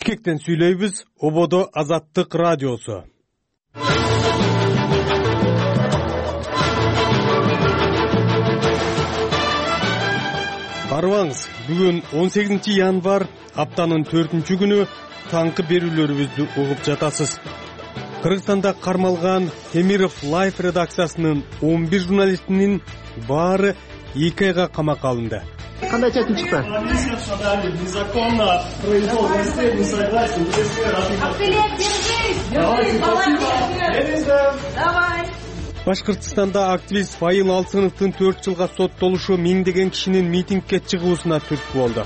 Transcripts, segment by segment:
Бишкектен сүйлөйбүз. Ободо Азаттык радиосу. Карыбаңыз, бүгүн 18 январь, аптанын 4-күнү, таңкы берүүлөрүбүздү угуп жатасыз. Кыргызстанда кармалган Темиров Life редакциясынын 11 журналистинин баары 2 айга камакка алынды. Кандай чечим чыкты? Незаконно произвол властей, не согласен. Башкыртстанда активист Файыл Алсыновдун 4 жылга соттолушу миңдеген кишинин митингге чыгуусуна түрткү болду.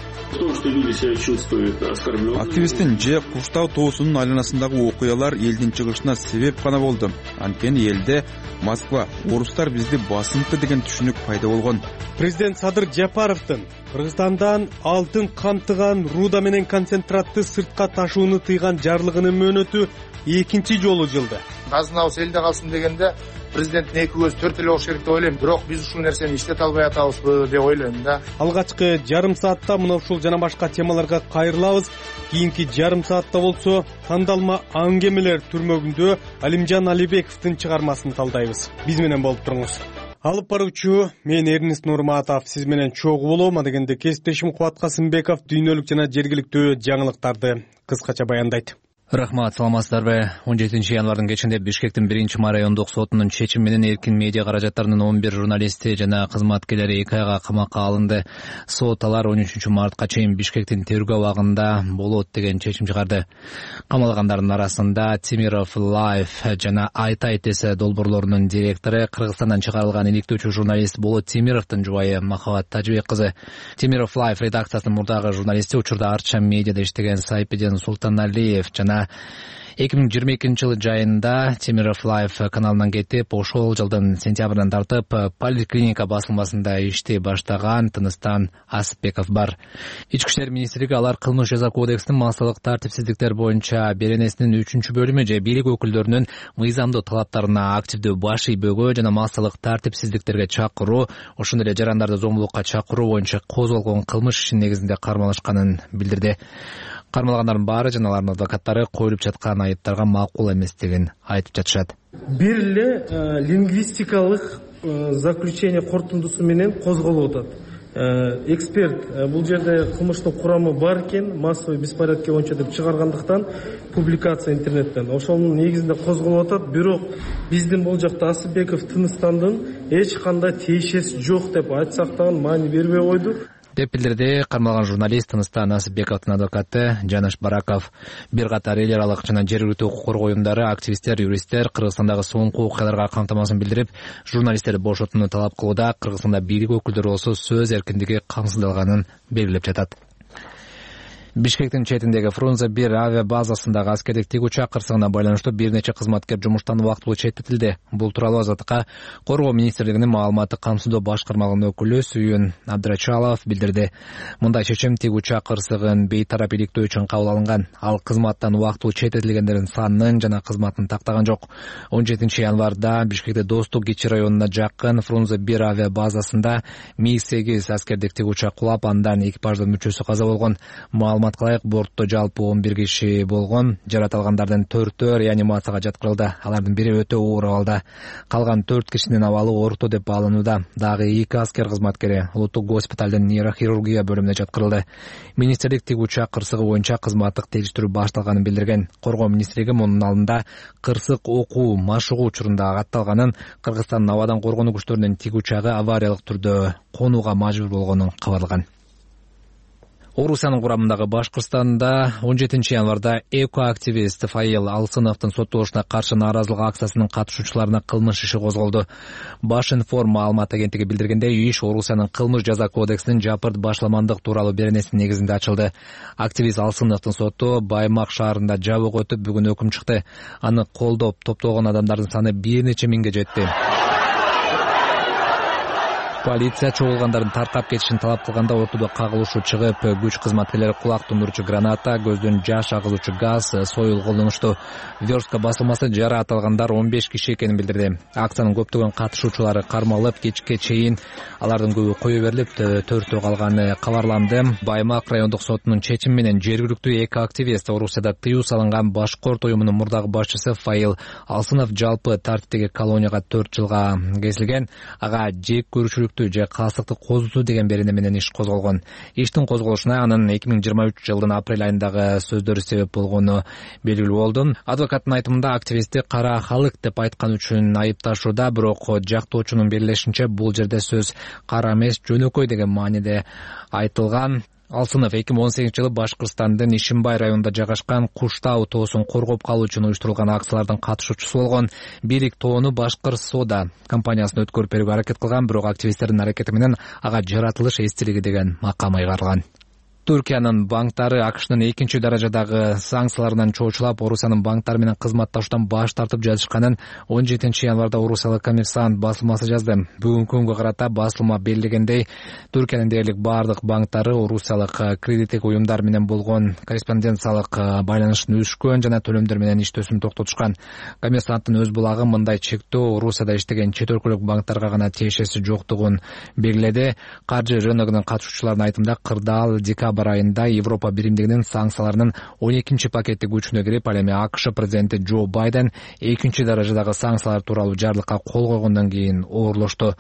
Активисттин же куштау тоосунун айланасындагы окуялар элдин чыгышына себеп гана болду. Анткени элде Москва, орустар бизди басынтты деген түшүнүк пайда болгон. Президент Садыр Жапаровдун Кыргызстандан алтын камтыган руда менен концентратты сыртка ташууну тыйган жарлыгынын мөөнөтү экинчи жолу жылды. Казынабыз элде калсын дегенде президенттин эки көзү төрт эле болуш керек деп ойлойм. Бирок биз ушул нерсени иштете албай атабызбы деп ойлойм да. Алгачкы жарым саатта мына ушул жана башка темаларга кайрылабыз. Кийинки жарым саатта болсо тандалма аңгемелер түрмөгүндө Алимжан Алибековдун чыгармасын талдайбыз. Биз менен болуп туруңуз. Алып баруучу мен Эрнест Нурматов, сиз менен чогуу болом. Адегенде кесиптешим Кубат Касымбеков дүйнөлүк жана жергиликтүү жаңылыктарды кыскача баяндайт. Рахмат, саламатсыздарбы? 17 январдын кечинде Бишкектин 1-ма райондук сотунун чечими менен эркин медиа каражаттарынын 11 журналисти жана кызматкерлери 2 айга камакка алынды. Сот алар 13 мартка чейин Бишкектин тергөө абагында болот деген чечим чыгарды. Камалгандардын арасында Темиров Life жана Айт эсе долбоорлорунун директору, Кыргызстандан чыгарылган иликтөөчү журналист Болот Темировдун жубайы Махабат Тажыбек кызы. Темиров Life редакциясынын мурдагы журналисти, учурда Арча медиада иштеген Сайпеден Султаналиев жана 2022 жылы жайында Темиров Life каналынан кетип, ошол жылдын сентябрынан тартып поликлиника басылмасында ишти баштаган Тыныстан Асыпбеков бар. Ички иштер министрлиги алар кылмыш жаза кодексинин массалык тартипсиздиктер боюнча беренесинин 3-бөлүмү же бийлик өкүлдөрүнүн мыйзамдуу талаптарына активдүү баш ийбөөгө жана массалык тартипсиздиктерге чакыруу, ошондой эле жарандарды зомбулукка чакыруу боюнча козголгон кылмыш ишинин негизинде кармалышканын билдирди. Кармалгандардын баары жана алардын адвокаттары коюлуп жаткан айыптарга макул эместигин айтып жатышат. Бир эле лингвистикалык заключение корутундусу менен козголуп атат. Эксперт бул жерде кылмыштын курамы бар экен, массовый беспорядки боюнча деп чыгаргандыктан публикация интернеттен ошонун негизинде козголуп атат. Бирок биздин бул жакта Асыпбеков Тыныстандын эч кандай тиешеси жок деп айтсак дагы маани бербей койду деп билдирди кармалган журналист Тыныстан Асыпбековдун адвокаты Жанаш Бараков. Бир катар эл аралык жана жергиликтүү укук коргоо уюмдары, активисттер, юристтер Кыргызстандагы соңку окуяларга камтамасын билдирип, журналисттерди бошотууну талап кылууда. Кыргызстанда бийлик өкүлдөрү болсо сөз эркиндиги камсыздалганын белгилеп жатат. Бишкектин четиндеги Фрунзе 1 авиа базасындагы аскердик тигүүчү кырсыгына байланыштуу бир нече кызматкер жумуштан убактылуу четтетилди. Бул тууралуу Азаттыкка Коргоо министрлигинин маалыматтык камсыздоо башкармалыгынын өкүлү Сүйүн Абдрачалов билдирди. Мындай чечим тигүүчү кырсыгын бейтарап иликтөө үчүн кабыл алынган. Ал кызматтан убактылуу четтетилгендердин санын жана кызматын тактаган жок. 17 январда Бишкекте Достук Кичи районуна жакын Фрунзе 1 авиа базасында МиГ-8 аскердик тигүүчү кулап, андан экипаждын мүчөсү каза болгон. Маалыматка ылайык, бортто жалпы 11 киши болгон. Жаратылгандардын 4-өө реанимацияга жаткырылды. Алардын бири өтө оор абалда. Калган 4 кишинин абалы орто деп бааланууда. Дагы 2 аскер кызматкери улуттук госпиталдын нейрохирургия бөлүмүнө жаткырылды. Министрлик тигүүчү кырсыгы боюнча кызматтык териштирүү башталганын билдирген. Коргоо министрлиги мунун алдында кырсык окуу машыгуу учурунда катталганын, Кыргызстандын абадан коргонуу күчтөрүнүн тигүүчагы авариялык түрдө конууга мажбур болгонун кабарлаган. Орусиянын курамындагы Башкыртстанда 17 январда экоактивист Файыл Алсыновдун соттолушуна каршы нааразылык акциясынын катышуучуларына кылмыш иши козголду. Башинформ маалымат агенттиги билдиргендей, иш Орусиянын кылмыш жаза кодексинин жапырт башламандык тууралуу беренесинин негизинде ачылды. Активист Алсыновдун соту Баймак шаарында жабык өтүп, бүгүн өкүм чыкты. Аны колдоп топтогон адамдардын саны бир нече миңге жетти. Полиция чогулгандардын таркап кетишин талап кылганда ортодо кагылышуу чыгып, күч кызматкерлери кулак тундуруучу граната, көздөн жаш агызуучу газ, союл колдонушту. Верстка басылмасы жараат алгандар 15 киши экенин билдирди. Акциянын көптөгөн катышуучулары кармалып, кечке чейин алардын көбү кое берилип, төртөө калганы кабарланды. Баймак райондук сотунун чечими менен жергиликтүү эки активист Орусияда тыюу салынган Башкорт уюмунун мурдагы башчысы Фаил Алсынов жалпы тартиптеги колонияга 4 жылга кесилген. Ага жек көрүүчүлүк же каасыктык козутуу деген берене менен иш козголгон. Иштин козголушуна анын 2023 жылдын апрель айындагы сөздөрү себеп болгону белгилүү болду. Адвокаттын айтымында активистти кара халык деп айткан үчүн айыпташууда, бирок жактоочунун белгилешинче бул жерде сөз кара эмес, жөнөкөй деген мааниде айтылган. Алсынов 2018 жылы Башкырстандын Ишимбай районунда жайгашкан Куштау тоосун коргоп калуу үчүн уюштурулган акциялардын катышуучусу болгон. Бийлик тоону Башкыр Сода компаниясына өткөрүп берүүгө аракет кылган, бирок активисттердин аракети менен ага жаратылыш эстелиги деген макам айгарылган. Түркиянын банктары АКШнын экинчи даражадагы санкцияларынан чоочулап, Орусиянын банктары менен кызматташуудан баш тартып жатышканын 17 январда Орусиялык Коммерсант басылмасы жазды. Бүгүнкү күнгө карата басылма белгилегендей, Түркиянын дээрлик бардык банктары Орусиялык кредиттик уюмдар менен болгон корреспонденциялык байланыштын өшкөн жана төлөмдөр менен иштөөсүн токтотушкан. Коммерсанттын өз булагы мындай чектөө Орусияда иштеген чет өлкөлүк банктарга гана тиешеси жоктугун белгиледи. Каржы рыногунун катышуучуларынын айтымында, кырдаал декабрь айында Европа биримдигинин санкцияларынын 12 пакети күчүнө кирип, ал эми АКШ президенти Джо Байден экинчи даражадагы санкциялар тууралуу жарлыкка кол койгондон кийин оорлошту.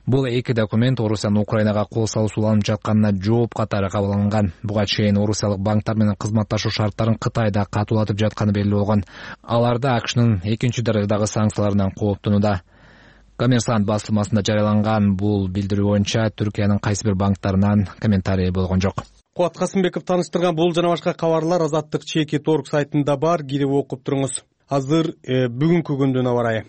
Бул эки документ Орусиянын Украинага кол салуусу уланып жатканына жооп катары кабыл алынган. Буга чейин Орусиялык банктар менен кызматташуу шарттарын Кытайда катуулатып жатканы белгилүү болгон. Аларды АКШнын экинчи даражадагы санкцияларынан кооптонууда. Коммерсант басылмасында жарыяланган бул билдирүү боюнча Түркиянын кайсы бир банктарынан комментарий болгон жок. Кубат Касымбеков таныштырган бул жана башка кабарлар Азаттык ЧК.org сайтында бар, кирип окуп туруңуз. Азыр бүгүнкү күндүн аба ырайы.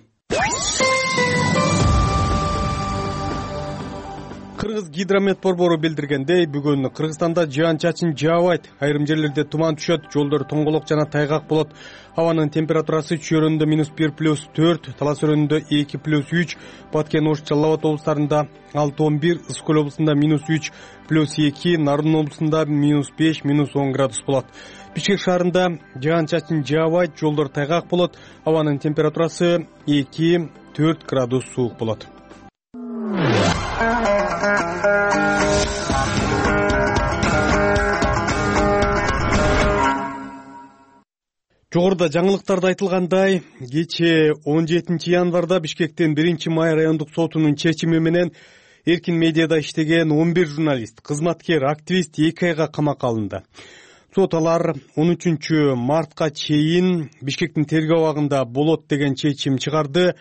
Кыргыз гидромет борбору билдиргендей, бүгүн Кыргызстанда жаан-чачын жаабайт. Айрым жерлерде туман түшөт, жолдор тоңголок жана тайгак болот. Абанын температурасы Чөйрөндө -1+4, Талас өрөөнүндө 2+3, Баткен, Ош, Жалал Абад облустарында 6-11, Ысык Көл облусунда -3+2, Нарын облусунда -5, -10 градус болот. Бишкек шаарында жаан-чачын жаабайт, жолдор тайгак болот. Абанын температурасы 2-4 градус суук болот. Жогоруда жаңылыктарда айтылгандай, кечээ 17 январда Бишкектин 1-май райондук сотунун чечими менен эркин медиада иштеген 11 журналист, кызматкер, активист 2 айга камакка алынды. Сот алар 13 мартка чейин Бишкектин тергөө абагында болот деген чечим чыгарды.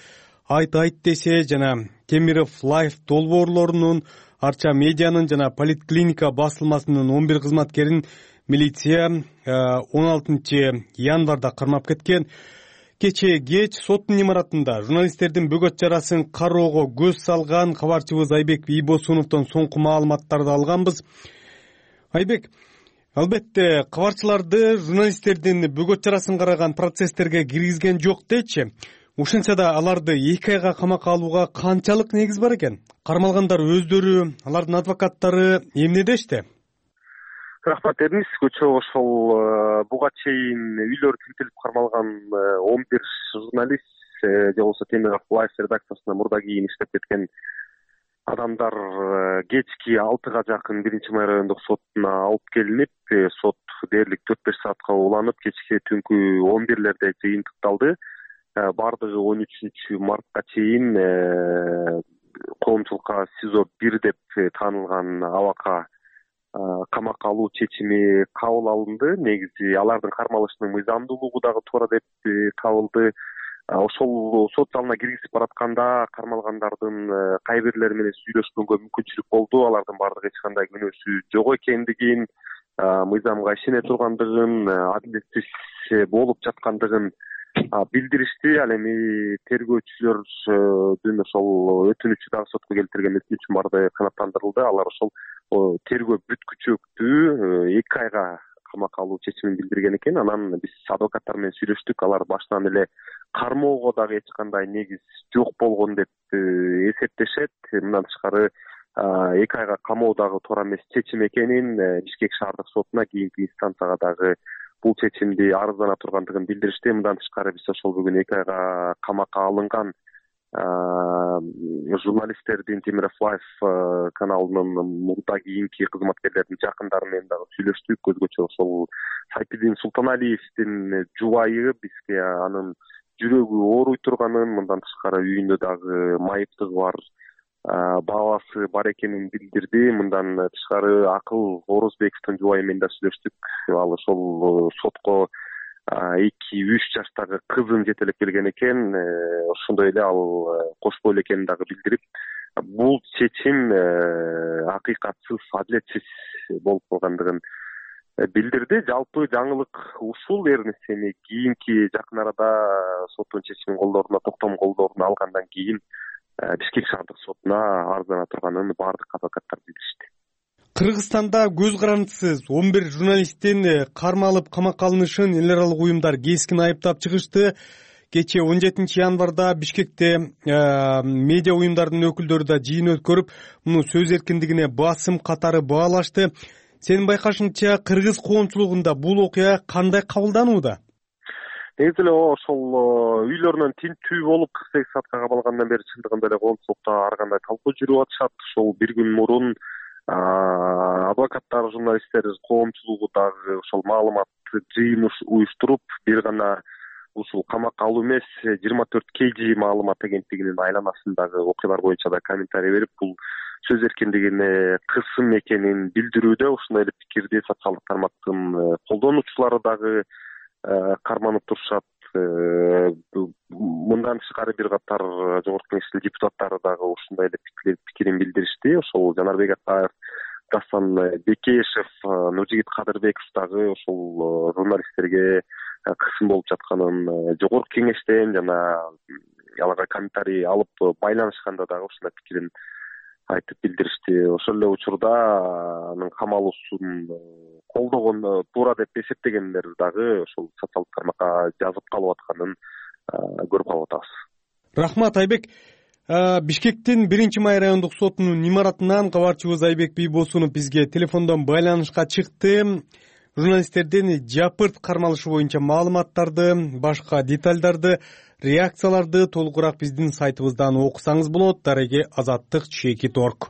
Айт десе жана Темиров Лайф долбоорлорунун, Арча медианын жана Политклиника басылмасынын 11 кызматкерин милиция 16 январда кармап кеткен. Кечээ кеч соттун имаратында журналисттердин бөгөт жарасын кароого көз салган кабарчыбыз Айбек Ийбосуновдон соңку маалыматтарды алганбыз. Айбек, албетте кабарчыларды журналисттердин бөгөт жарасын караган процесстерге киргизген жок дечи. Ушинча да аларды 2 айга камакка алууга канчалык негиз бар экен? Кармалгандар өздөрү, алардын адвокаттары эмне дешти? Рахмат Эрнис, көчө ошол буга чейин үйлөрү тинтелип кармалган 11 журналист же болбосо Темиров Лайф редакциясына мурда кийин иштеп кеткен адамдар кечки 6-га жакын 1-май райондук сотуна алып келинип, сот дээрлик 4-5 саатка уланып, кечки түнкү 11-лерде жыйынтыкталды. Бардыгы 13 мартка чейин коомчулукка СИЗО 1 деп таанылган абакка камакка алуу чечими кабыл алынды. Негизи алардын кармалышынын мыйзамдуулугу дагы туура деп табылды. Ошол сот залына киргизип баратканда кармалгандардын кайбирлери менен сүйлөшкөнгө мүмкүнчүлүк болду. Алардын баардыгы эч кандай күнөөсү жок экендигин, мыйзамга ишене тургандыгын, адилеттиш болуп жаткандыгын билдиришти. Ал эми тергөөчүлөрдүн ошол өтүнүчү дагы сотко келтирген өтүнүчүн баары канааттандырылды. Алар ошол тергөө бүткүчөктү 2 айга камакка алуу чечимин билдирген экен. Анан биз адвокаттар менен сүйлөштүк. Алар баштан эле кармоого дагы эч кандай негиз жок болгон деп эсептешет. Мындан тышкары 2 айга камоодагы туура эмес чечим экенин Бишкек шаардык сотуна кийинки инстанцияга дагы бул чечимди арыздана тургандыгын билдиришти. Мындан тышкары биз ошол бүгүн 2 айга камакка алынган журналисттердин Темиров Лайф каналынын мурда кийинки кызматкерлердин жакындары менен дагы сүйлөштүк. Өзгөчө ошол Сайпидин Султаналиевдин жубайы бизге анын жүрөгү ооруй турганын, мындан тышкары үйүндө дагы майыптыгы бар, баабасы бар экенин билдирди. Мындан тышкары Акыл Орозбековдун жубайы менен да сүйлөштүк. Ал ошол сотко 2-3 жаштагы кызын жетелеп келген экен. Ошондой эле ал кош бойлуу экенин дагы билдирип, бул чечим акыйкатсыз, адилетсиз болуп калгандыгын билдирди. Жалпы жаңылык ушул. Эрнестени кийинки жакын арада соттун чечимин колдоруна, токтом колдоруна алгандан кийин Бишкек шаардык сотуна арыздана турганын баардык адвокаттар билдиришти. Кыргызстанда көз карандысыз 11 журналисттин кармалып камакка алынышын эл аралык уюмдар кескин айыптап чыгышты. Кече 17 январда Бишкекте медиа уюмдардын өкүлдөрү да жыйын өткөрүп, муну сөз эркиндигине басым катары баалашты. Сенин байкашыңча кыргыз коомчулугунда бул окуя кандай кабылданууда? Негизи эле ошол үйлөрүнөн тинтүү болуп 48 саатка кабылгандан бери чындыгында эле коомчулукта ар кандай талкуу жүрүп атышат. Ошол бир күн мурун адвокаттар, журналисттер коомчулугу дагы ошол маалымат жыйын уюштуруп, бир гана ушул камакка алуу эмес, 24 KG маалымат агенттигинин айланасындагы окуялар боюнча да комментарий берип, бул сөз эркиндигине кысым экенин билдирүүдө. Ошондой эле пикирди социалдык тармактын колдонуучулары дагы карманып турушат. Мындан тышкары бир катар жогорку кеңештин депутаттары дагы ушундай эле пикирин билдиришти. Ошол Жанарбек Атаев, Дастан Бекешев, Нуржигит Кадырбеков дагы ошол журналисттерге кысым болуп жатканын жогорку кеңештен жана аларга комментарий алып байланышканда дагы ушундай пикирин айтып билдиришти. Ошол эле учурда анын камалуусун колдогон туура деп эсептегендер дагы ошол социалдык тармакка жазып калып атканын көрүп калып атабыз. Рахмат, Айбек. Бишкектин 1-май райондук сотунун имаратынан кабарчыбыз Айбек Бийбосунов бизге телефондон байланышка чыкты. Журналисттердин жапырт кармалышы боюнча маалыматтарды, башка детальдарды, реакцияларды толугураак биздин сайтыбыздан окусаңыз болот. Дареги azattik.org.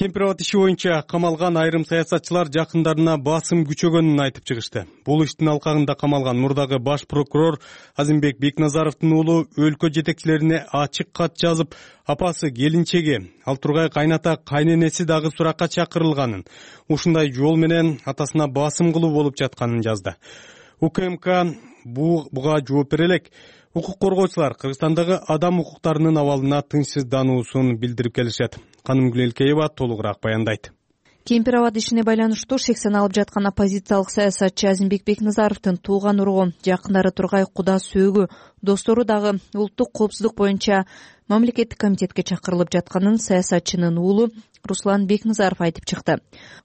Кемпирабад иши боюнча камалган айрым саясатчылар жакындарына басым күчөгөнүн айтып чыгышты. Бул иштин алкагында камалган мурдагы баш прокурор Азимбек Бекназаровдун уулу өлкө жетекчилерине ачык кат жазып, апасы, келинчеги, ал тургай кайната, кайненеси дагы суракка чакырылганын, ушундай жол менен атасына басым кылуу болуп жатканын жазды. УКМК буга жооп бере элек. Укук коргоочулар Кыргызстандагы адам укуктарынын абалына тынчсыздануусун билдирип келишет. Канымгүл Элкеева толугураак баяндайт. Кемпирабад ишине байланыштуу шексен алып жаткан оппозициялык саясатчы Азимбек Бекназаровдун тууган уругу, жакындары Тургай Куда сөөгү, достору дагы улуттук коопсуздук боюнча мамлекеттик комитетке чакырылып жатканын саясатчынын уулу Руслан Бекназаров айтып чыкты.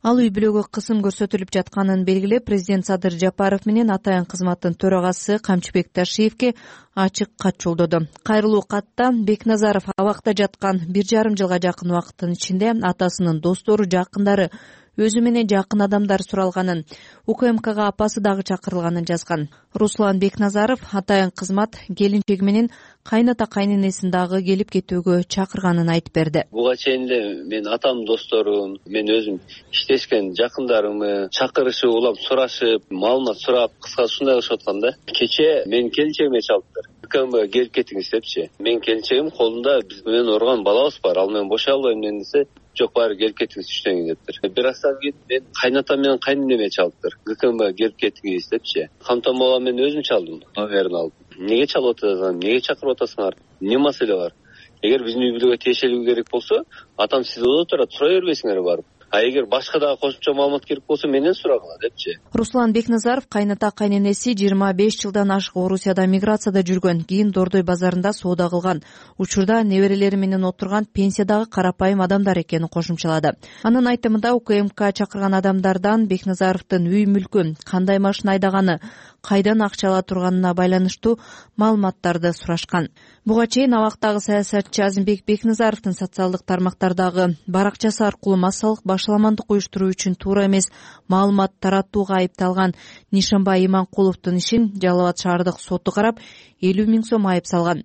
Ал үй бүлөгө кысым көрсөтүлүп жатканын белгилеп, президент Садыр Жапаров менен атайын кызматтын төрагасы Камчыбек Ташиевке ачык кат жолдоду. Кайрылуу катта Бекназаров абакта жаткан 1,5 жылга жакын убакыттын ичинде атасынын достору, жакындары, өзү менен жакын адамдар суралганын, УКМКга апасы дагы чакырылганын жазган. Руслан Бекназаров атайын кызмат келинчеги менен кайната, кайненесин дагы келип кетүүгө чакырганын айтып берди. Буга чейин эле мен атам досторум, мен өзүм иштешкен жакындарымы чакырышып, улам сурашып, маалымат сурап, кыска ушундай кылышып аткан да. Кече мен келинчегиме чалыптыр. КМГ келип кетиңиз депчи. Мен келинчегим колунда биз менен урган балабыз бар, ал менен бошой албайм десе, жок баары келип кетиңиз түштөн дептир. Бир аздан кийин мен кайнатам менен кайненеме чалыптыр. ГКМ келип кетиңиз депчи. Камтан бала мен өзүм чалдым, номерин алып. Неге чалып атасың? Неге чакырып атасыңар? Эмне маселе бар? Эгер биздин үй бүлөгө тиешелиги керек болсо, атам сиз отурат, сура бербейсиңер барып. эгер башка дагы кошумча маалымат керек болсо менден сурагыла депчи. Руслан Бекназаров кайната кайненеси 25 жылдан ашык Орусияда миграцияда жүргөн, кийин Дордой базарында соода кылган. Учурда неберелери менен отурган пенсиядагы карапайым адамдар экенин кошумчалады. Анын айтымында УКМК чакырган адамдардан Бекназаровдун үй мүлкү, кандай машина айдаганы, кайдан акча ала турганына байланыштуу маалыматтарды сурашкан. Буга чейин абактагы саясатчы Азимбек Бекназаровдун социалдык тармактардагы баракчасы аркылуу массалык башаламандык уюштуруу үчүн туура эмес маалымат таратууга айыпталган Нишанбай Иманкуловдун ишин Жалал Абад шаардык соту карап 50 000 сом айып салган.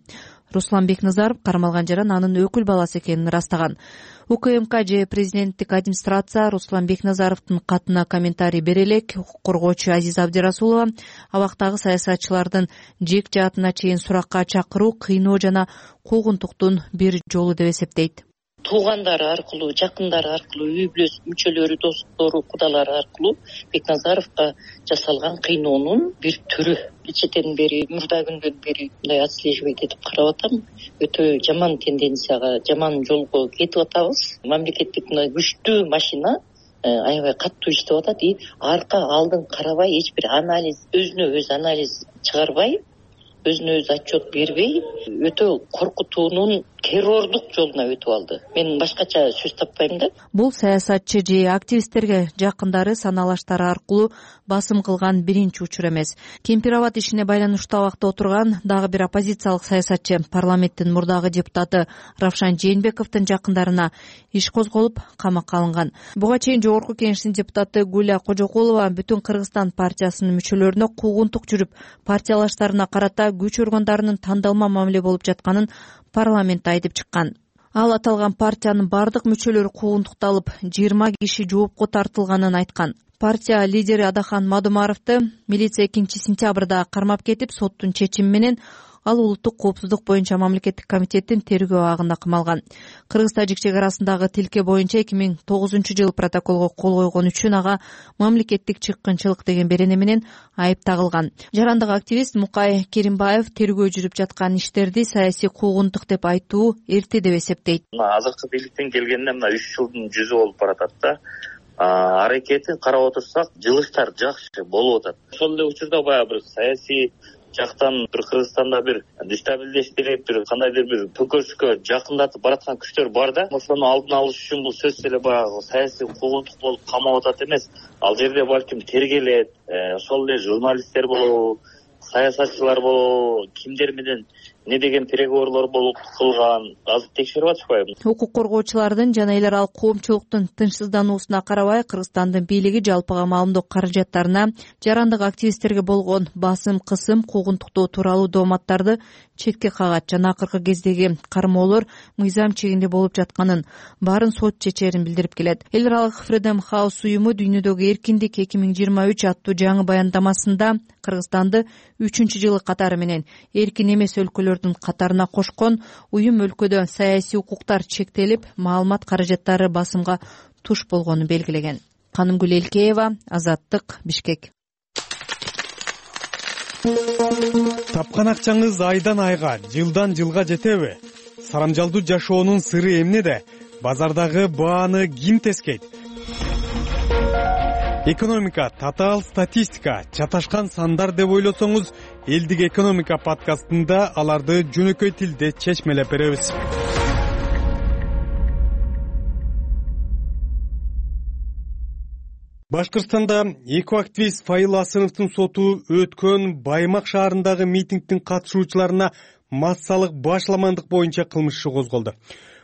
Руслан Бекназаров кармалган жаран анын өкүл баласы экенин ырастаган. УКМК же президенттик администрация Руслан Бекназаровдун катына комментарий бере элек укук коргоочу Азиза Абдирасулова абактагы саясатчылардын жек жаатына чейин суракка чакыруу кыйноо жана куугунтуктун бир жолу деп эсептейт. Туугандары аркылуу, жакындары аркылуу, үй бүлө мүчөлөрү, достору, кудалары аркылуу Бекназаровго жасалган кыйноонун бир түрү. Кечеден бери, мурда күндөн бери мындай отслеживать этип карап атам. Өтө жаман тенденцияга, жаман жолго кетип атабыз. Мамлекеттик мына күчтүү машина аябай катуу иштеп атат и арка алдын карабай, эч бир анализ, өзүнө өзү анализ чыгарбай, өзүнө өзү отчет бербей, өтө коркутуунун террордук жолуна өтүп алды. Мен башкача сөз таппайм да. Бул саясатчы же активисттерге жакындары саналаштары аркылуу басым кылган биринчи учур эмес. Кемпир Абад ишине байланыштуу абакта отурган дагы бир оппозициялык саясатчы, парламенттин мурдагы депутаты Равшан Жээнбековдун жакындарына иш козголуп, камакка алынган. Буга чейин Жогорку Кеңештин депутаты Гуля Кожокулова бүтүн Кыргызстан партиясынын мүчөлөрүнө куугунтук жүрүп, партиялаштарына карата күч органдарынын тандалма мамиле болуп жатканын парламентте айтып чыккан. Ал аталган партиянын бардык мүчөлөрү куугунтукталып, 20 киши жоопко тартылганын айткан. Партия лидери Адахан Мадумаровду милиция 2-сентябрда кармап кетип, соттун чечими менен ал улуттук коопсуздук боюнча мамлекеттик комитеттин тергөө абагында камалган. Кыргыз-Тажик чек арасындагы тилке боюнча 2009-жылы протоколго кол койгон үчүн ага мамлекеттик чыккынчылык деген берене менен айып тагылган. Жарандык активист Мукай Керимбаев тергөө жүрүп жаткан иштерди саясий куугунтук деп айтуу эрте деп эсептейт. Азыркы бийликтен келгенде мына 3 жылдын жүзү болуп баратат да. Аракетин карап отурсак, жылыштар жакшы болуп атат. Ошол эле учурда баягы бир саясий жактан бир Кыргызстанда бир дестабилдештирип, бир кандайдыр бир төкөрүшкө жакындатып бараткан күчтөр бар да. Ошону алдын алыш үчүн бул сөзсүз эле баягы саясий куугунтук болуп камап атат эмес. Ал жерде балким тергелет, ошол эле журналисттер болобу, саясатчылар болобу, кимдер менен не деген переговорлор болуп кылган, азыр текшерип атышпайбы? Укук коргоочулардын жана эл аралык коомчулуктун тынчсыздануусуна карабай, Кыргызстандын бийлиги жалпыга маалымдоо каражаттарына жарандык активисттерге болгон басым, кысым, куугунтуктоо тууралуу дооматтарды четке кагат жана акыркы кездеги кармоолор мыйзам чегинде болуп жатканын, баарын сот чечерин билдирип келет. Эл аралык Freedom House уюму дүйнөдөгү эркиндик 2023 аттуу жаңы баяндамасында Кыргызстанды 3-жылы катары менен эркин эмес өлкөлөрдүн катарына кошкон. Уюм өлкөдө саясий укуктар чектелип, маалымат каражаттары басымга туш болгонун белгилеген. Канымгүл Элкеева, Азаттык, Бишкек. Тапкан акчаңыз айдан айга, жылдан жылга жетеби? Сарамжалдуу жашоонун сыры эмнеде? Базардагы бааны ким тескейт? Экономика, татаал статистика, чаташкан сандар деп ойлосоңуз, Элдик экономика подкастында аларды жөнөкөй тилде чечмелеп беребиз. Башкыртстанда эки активист Файыл Асыновдун соту өткөн Баймак шаарындагы митингдин катышуучуларына массалык башаламандык боюнча кылмыш иши козголду.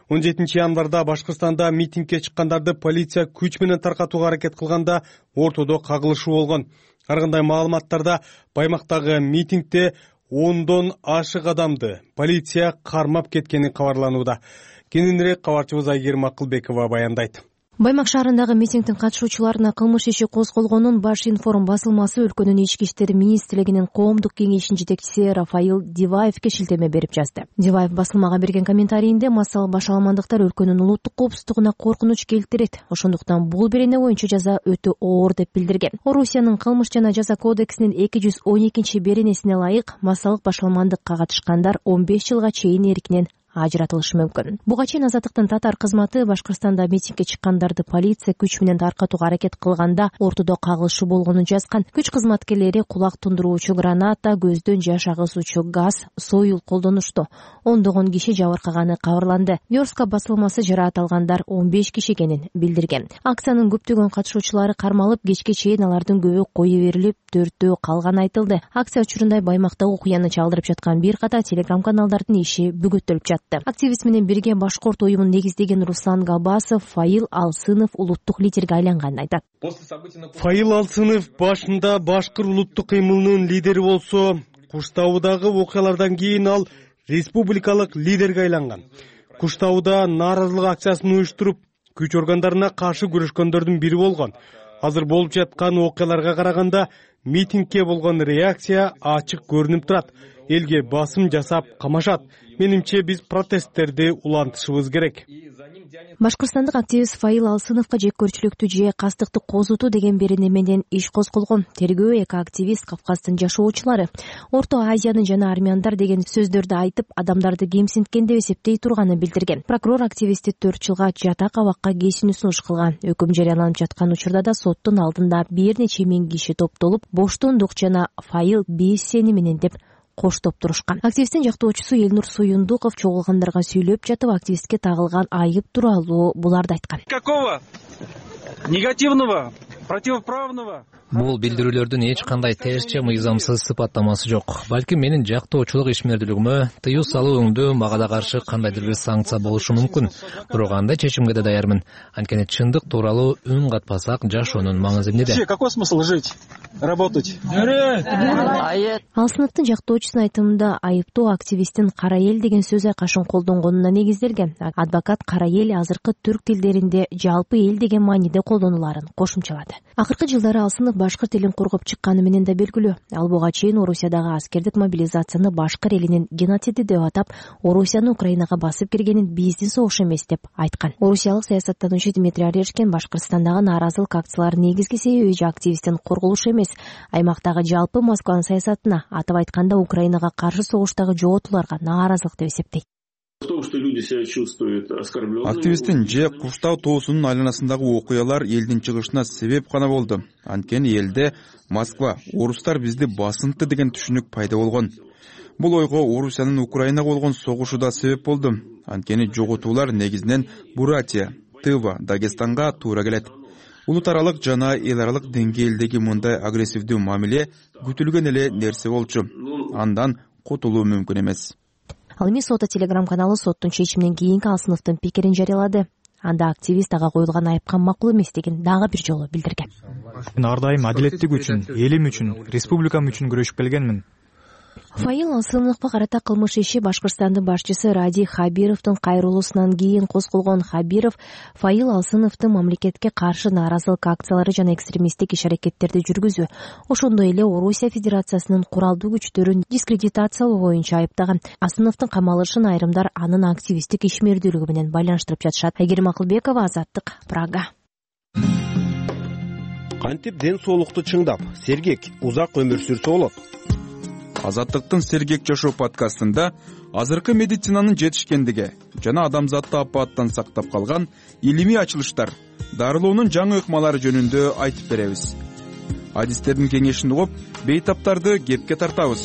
17 январда Башкыртстанда митингге чыккандарды полиция күч менен таркатууга аракет кылганда ортодо кагылышуу болгон. Ар кандай маалыматтарда Баймактагы митингде 10дон ашык адамды полиция кармап кеткени кабарланууда. Кененирээк кабарчыбыз Айгерим Акылбекова баяндайт. Баймак шаарындагы митингдин катышуучуларына кылмыш иши козголгонун Баш информ басылмасы өлкөнүн ички иштер министрлигинин коомдук кеңешинин жетекчиси Рафаил Диваевке шилтеме берип жазды. Диваев басылмага берген комментарийинде массалык башаламандыктар өлкөнүн улуттук коопсуздугуна коркунуч келтирет. Ошондуктан бул берене боюнча жаза өтө оор деп билдирген. Орусиянын кылмыш жана жаза кодексинин 212 беренесине ылайык массалык башаламандыкка катышкандар 15 жылга чейин эркинен ажыратылышы мүмкүн. Буга чейин Азаттыктын татар кызматы Башкырстанда митингге чыккандарды полиция күч менен таркатууга аракет кылганда ортодо кагылышы болгонун жазган. Күч кызматкерлери кулак тундуруучу граната, көздөн жаш агызуучу газ, союл колдонушту. Ондогон киши жабыркаганы кабарланды. Верска басылмасы жараат алгандар 15 киши экенин билдирген. Акциянын көптөгөн катышуучулары кармалып, кечке чейин алардын көбү кое берилип, 4-төө калганы айтылды. Акция учурунда Баймактагы окуяны чалдырып жаткан бир ката телеграм-каналдардын иши бүгөттөлүп жатты. Активист менен бирге Башкорт уюмун негиздеген Руслан Габасов Файыл Алсынов улуттук лидерге айланганын айтат. Файыл Алсынов башында Башкыр улуттук кыймылынын лидери болсо, Куштаудагы окуялардан кийин ал республикалык лидерге айланган. Куштауда нааразылык акциясын уюштуруп, күч органдарына каршы күрөшкөндөрдүн бири болгон. Азыр болуп жаткан окуяларга караганда митингке болгон реакция ачык көрүнүп турат. Элге басым жасап камашат. Менимче биз протесттерди улантышыбыз керек. Башкырстандык активист Файыл Алсыновго жеккөрчүлүктү же кастыкты козутуу деген берене менен иш козголгон. Тергөө эко-активист Кавказдын жашоочулары Орто Азиянын жана армяндар деген сөздөрдү айтып, адамдарды кемсинткен деп эсептей турганын билдирген. Прокурор активистти 4 жылга жатак абакка кесүүнү сунуш кылган. Өкүм жарыяланып жаткан учурда да соттун алдында бир нече миң киши топтолуп, боштондук жана Файыл без сени менен деп коштоп турушкан. Активисттин жактоочусу Элнур Суюндуков чогулгандарга сүйлөп жатып, активистке тагылган айып тууралуу буларды айткан. Какого негативного, противоправного? Бул билдирүүлөрдүн эч кандай терсче мыйзамсыз сыпаттамасы жок. Балким менин жактоочулук ишмердүүлүгүмө тыюу салууңдуу мага да каршы кандайдыр бир санкция болушу мүмкүн. Бирок андай чечимге да даярмын. Анткени чындык тууралуу үн катпасак, жашоонун маңызы эмнеде? Какой смысл жить, работать? Алсыновдун жактоочусунун айтымында айыптоо активисттин кара эл деген сөз айкашын колдонгонуна негизделген. Адвокат кара эл азыркы түрк тилдеринде жалпы эл деген мааниде колдонуларын кошумчалады. Акыркы жылдары Алсынов башкыр тилин коргоп чыкканы менен да белгилүү. Ал буга чейин Орусиядагы аскердик мобилизацияны башкыр элинин геноциди деп атап, Орусияны Украинага басып киргенин биздин согуш эмес деп айткан. Орусиялык саясаттануучу Дмитрий Орешкин Башкырстандагы нааразылык акцияларынын негизги себеби активисттин корголушу эмес, аймактагы жалпы Москванын саясатына, атап айтканда Украинага каршы согуштагы жоготууларга нааразылык деп эсептейт. Активисттин же Куштау тоосунун айланасындагы окуялар элдин чыгышына себеп гана болду. Анткени элде Москва, орустар бизди басынтты деген түшүнүк пайда болгон. Бул ойго Орусиянын Украинага болгон согушу да себеп болду. Анткени жоготуулар негизинен Бурятия, Тыва, Дагестанга туура келет. Улут аралык жана эл аралык деңгээлдеги мындай агрессивдүү мамиле күтүлгөн эле нерсе болчу. Андан кутулуу мүмкүн эмес. Ал эми Сота телеграм-каналы соттун чечиминен кийинки Алсыновдун пикирин жарыялады. Анда активист ага коюлган айыпка макул эмес деген дагы бир жолу билдирген. Мен ар дайым адилеттик үчүн, элим үчүн, республикам үчүн күрөшүп келгенмин. Файыл Алсыновго карата кылмыш иши Башкырстандын башчысы Ради Хабировдун кайрылуусунан кийин козголгон. Хабиров Файыл Алсыновду мамлекетке каршы нааразылык акциялары жана экстремисттик иш-аракеттерди жүргүзүү, ошондой эле Орусия Федерациясынын куралдуу күчтөрүн дискредитациялоо боюнча айыптаган. Алсыновдун камалышын айрымдар анын активисттик ишмердүүлүгү менен байланыштырып жатышат. Айгерим Акылбекова, Азаттык, Прага. Кантип ден соолукту чыңдап, сергек, узак өмүр сүрсө болот? Азаттыктын Сергек жашоо подкастында азыркы медицинанын жетишкендиги жана адамзатты апааттан сактап калган илимий ачылыштар, дарылоонун жаңы ыкмалары жөнүндө айтып беребиз. Адистердин кеңешин угуп, бейтаптарды кепке тартабыз.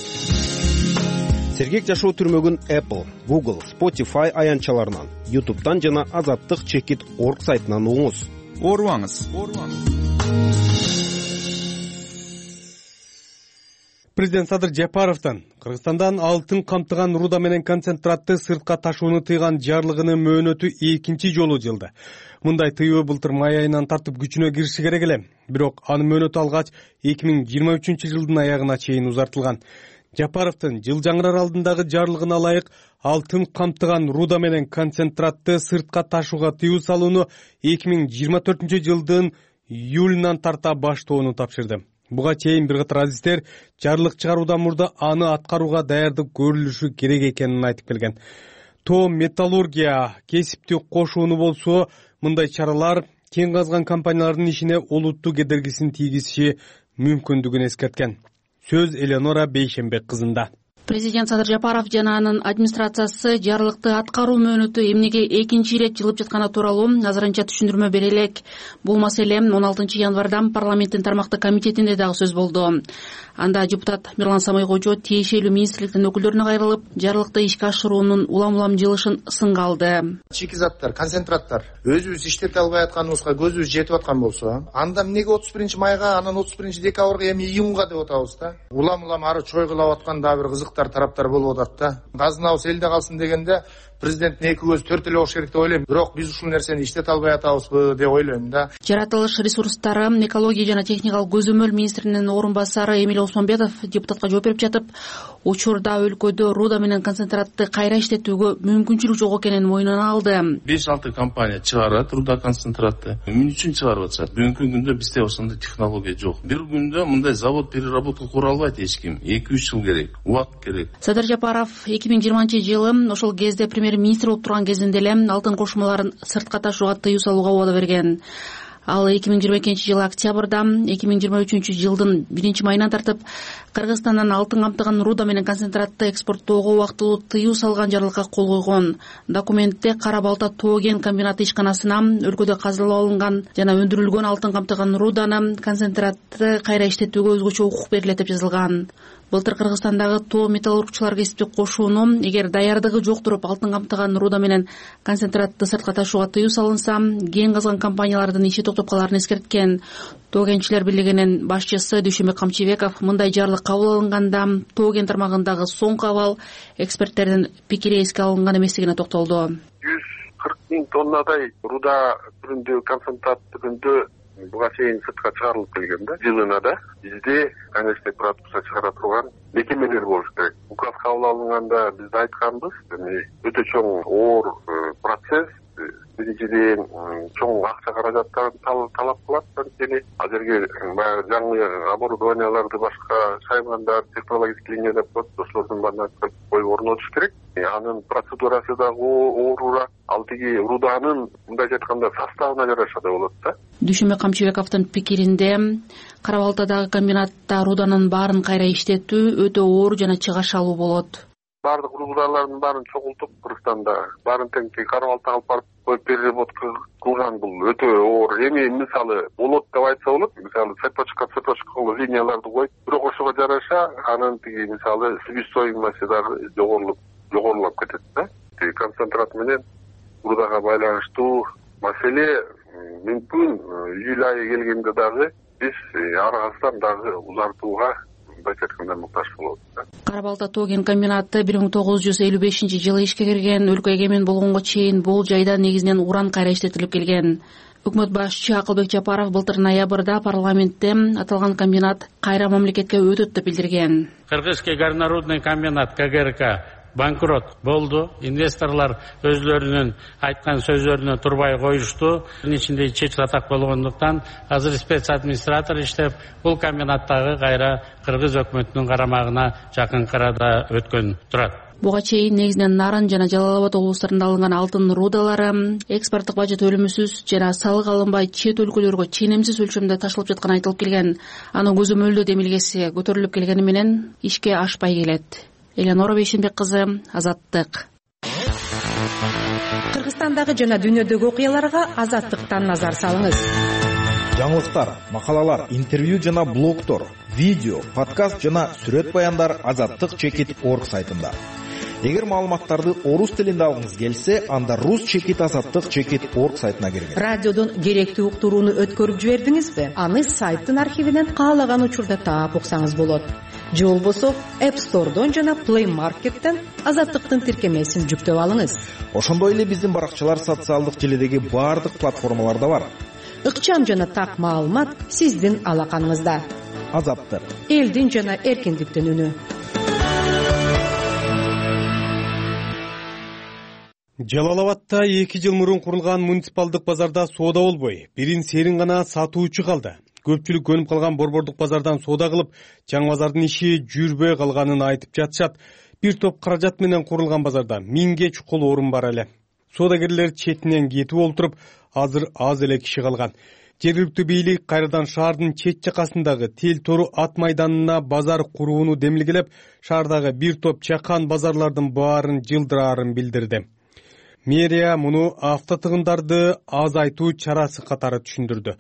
Сергек жашоо түрмөгүн Apple, Google, Spotify аянтчаларынан, YouTube'дан жана azattik.org сайтынан угуңуз. Оорубаңыз. Президент Садыр Жапаровдун Кыргызстандан алтын камтыган руда менен концентратты сыртка ташууну тыйган жарлыгынын мөөнөтү экинчи жолу жылды. Мындай тыюу былтыр май айынан тартып күчүнө кириши керек эле. Бирок анын мөөнөтү алгач 2023-жылдын аягына чейин узартылган. Жапаровдун жыл жаңырар алдындагы жарлыгына ылайык алтын камтыган руда менен концентратты сыртка ташууга тыюу салууну 2024-жылдын июлунан тарта баштоону тапшырды. Буга чейин бир катар адистер жарлык чыгаруудан мурда аны аткарууга даярдык көрүлүшү керек экенин айтып келген. Тоо металлургия кесипти кошууну болсо, мындай чаралар кен казган компаниялардын ишине олуттуу кедергисин тийгизиши мүмкүндүгүн эскерткен. Сөз Элеонора Бейшенбек кызында. Президент Садыр Жапаров жана анын администрациясы жарлыкты аткаруу мөөнөтү эмнеге экинчи ирет жылып жатканы тууралуу азырынча түшүндүрмө бере элек. Бул маселе 16 январда парламенттин тармактык комитетинде дагы сөз болду. Анда депутат Мирлан Самайкожо тиешелүү министрликтин өкүлдөрүнө кайрылып, жарлыкты ишке ашыруунун улам жылышын сынга алды. Шикизаттар, концентраттар өзүбүз иштете албай атканыбызга көзүбүз жетип аткан болсо, анда эмнеге 31 майга, анан 31 декабрга, эми июнга деп атабыз да. Улам ары чойгулап аткан дагы бир кызыктар тараптар болуп атат да. Казынабыз элде калсын дегенде президенттин эки көзү төрт эле болуш керек деп ойлойм. Бирок биз ушул нерсени иштете албай атабызбы деп ойлойм да. Жаратылыш ресурстары, экология жана техникалык көзөмөл министринин орун басары Эмиль Осмонбетов депутатка жооп берип жатып, учурда өлкөдө руда менен концентратты кайра иштетүүгө мүмкүнчүлүк жок экенин мойнуна алды. 5-6 компания чыгарат руда концентратты. Эмне үчүн чыгарып атышат? Бүгүнкү күндө бизде ошондой технология жок. Бир күндө мындай завод переработка кура албайт эч ким. 2-3 жыл керек, убакыт керек. Садыр Жапаров 2020-жылы ошол кезде премьер-министр болуп турган кезинде эле алтын кошмаларын сыртка ташууга тыюу салууга убада берген. Ал 2022-жылы октябрда 2023-жылдын 1-майынан тартып Кыргызстандан алтын камтыган руда менен концентратты экспорттоого убактылуу тыюу салган жарлыкка кол койгон. Документте Кара Балта тоо кен комбинаты ишканасына өлкөдө казылап алынган жана өндүрүлгөн алтын камтыган руданы концентратты кайра иштетүүгө өзгөчө укук берилет деп жазылган. Былтыр Кыргызстандагы тоо металлургчулар кесиптик кошууну эгер даярдыгы жок туруп алтын камтыган руда менен концентратты сыртка ташууга тыюу салынса, кен казган компаниялардын иши токтоп каларын эскерткен. Тоо кенчилер бийлигинин башчысы Дүйшөнбек Камчыбеков мындай жарлык кабыл алынганда тоо кен тармагындагы соңку абал эксперттердин пикири эске алынган эместигине токтолду. 140 000 тоннадай руда түрүндө, концентрат түрүндө буга чейин сыртка чыгарылып келген да. Жылына да бизде, конечно, продукция чыгара турган мекемелер болуш керек. Указ кабыл алынганда биз айтканбыз, өтө чоң оор процесс. Биринчиден чоң акча каражаттарын талап кылат. Анткени азыркы баягы жаңы оборудованияларды башка шаймандар, технологический линия деп коет, ошолордун баарын коюп орнотуш керек. Анын процедурасы дагы оорураак. Ал тиги руданын мындайча айтканда составына жараша да болот да. Дүйшөнбек Камчыбековдун пикиринде Кара Балтадагы комбинатта руданын баарын кайра иштетүү өтө оор жана чыгашалуу болот. Бардык рудалардын баарын чогултуп Кыргызстанда баарын тең Кара Балтага алып барып коюп переработка кылган бул өтө оор. Эми мисалы болот деп айтса болот. Мисалы цепочка линияларды коюп, бирок ошого жараша анын тиги мисалы себестоимости дагы жогорулап кетет да. Концентрат менен рудага байланыштуу маселе мүмкүн июль айы келгенде дагы биз арасынан дагы узартууга муктаж болот. Кара Балта тоо кен комбинаты 1955-жылы ишке кирген. Өлкө эгемен болгонго чейин бул жайда негизинен уран кайра иштетилип келген. Өкмөт башчы Акылбек Жапаров былтыр ноябрда парламентте аталган комбинат кайра мамлекетке өтөт деп билдирген. Кыргызский горнорудный комбинат КГРК банкрот болду. Инвесторлор өзлөрүнүн айткан сөздөрүнө турбай коюшту. Анын ичинде чечил атак болгондуктан азыр спец администратор иштеп, бул комбинаттагы кайра кыргыз өкмөтүнүн карамагына жакынкы арада өткөн турат. Буга чейин негизинен Нарын жана Жалал Абад облустарында алынган алтын рудалары экспорттук бажы төлөмүсүз жана салык алынбай чет өлкөлөргө ченемсиз өлчөмдө ташылып жатканы айтылып келген. Анын көзөмөлдөө демилгеси көтөрүлүп келгени менен ишке ашпай келет. Элеонора Бейшенбек кызы, Азаттык. Кыргызстандагы жана дүйнөдөгү окуяларга Азаттыктан назар салыңыз. Жаңылыктар, макалалар, интервью жана блогтор, видео, подкаст жана сүрөт баяндар azattik.org сайтында. Эгер маалыматтарды орус тилинде алгыңыз келсе, анда rus-azattik.org сайтына киргиз. Радиодон керектүү уктурууну өткөрүп жибердиңизби? Аны сайттын архивинен каалаган учурда таап уксаңыз болот. Же болбосо App Store'дон жана Play Market'тен Азаттыктын тиркемесин жүктөп алыңыз. Ошондой эле биздин баракчалар социалдык желидеги баардык платформаларда бар. Ыкчам жана так маалымат сиздин алаканыңызда. Азаттык. Элдин жана эркиндиктин үнү. Жалал Абадта 2 жыл мурун курулган муниципалдык базарда соода болбой, бирин серин гана сатуучу калды. Көпчүлүк көнүп калган борбордук базардан соода кылып, чаң базардын иши жүрбөй калганын айтып жатышат. Бир топ каражат менен курулган базарда 1000ге чукул орун бар эле. соодагерлер четинен кетип олтуруп, азыр аз эле киши калган. Жергиликтүү бийлик кайрадан шаардын чет жакасындагы Тел Тору ат майданына базар курууну демилгелеп, шаардагы бир топ чакан базарлардын баарын жылдыраарын билдирди. Мэрия муну автотыгындарды азайтуу чарасы катары түшүндүрдү.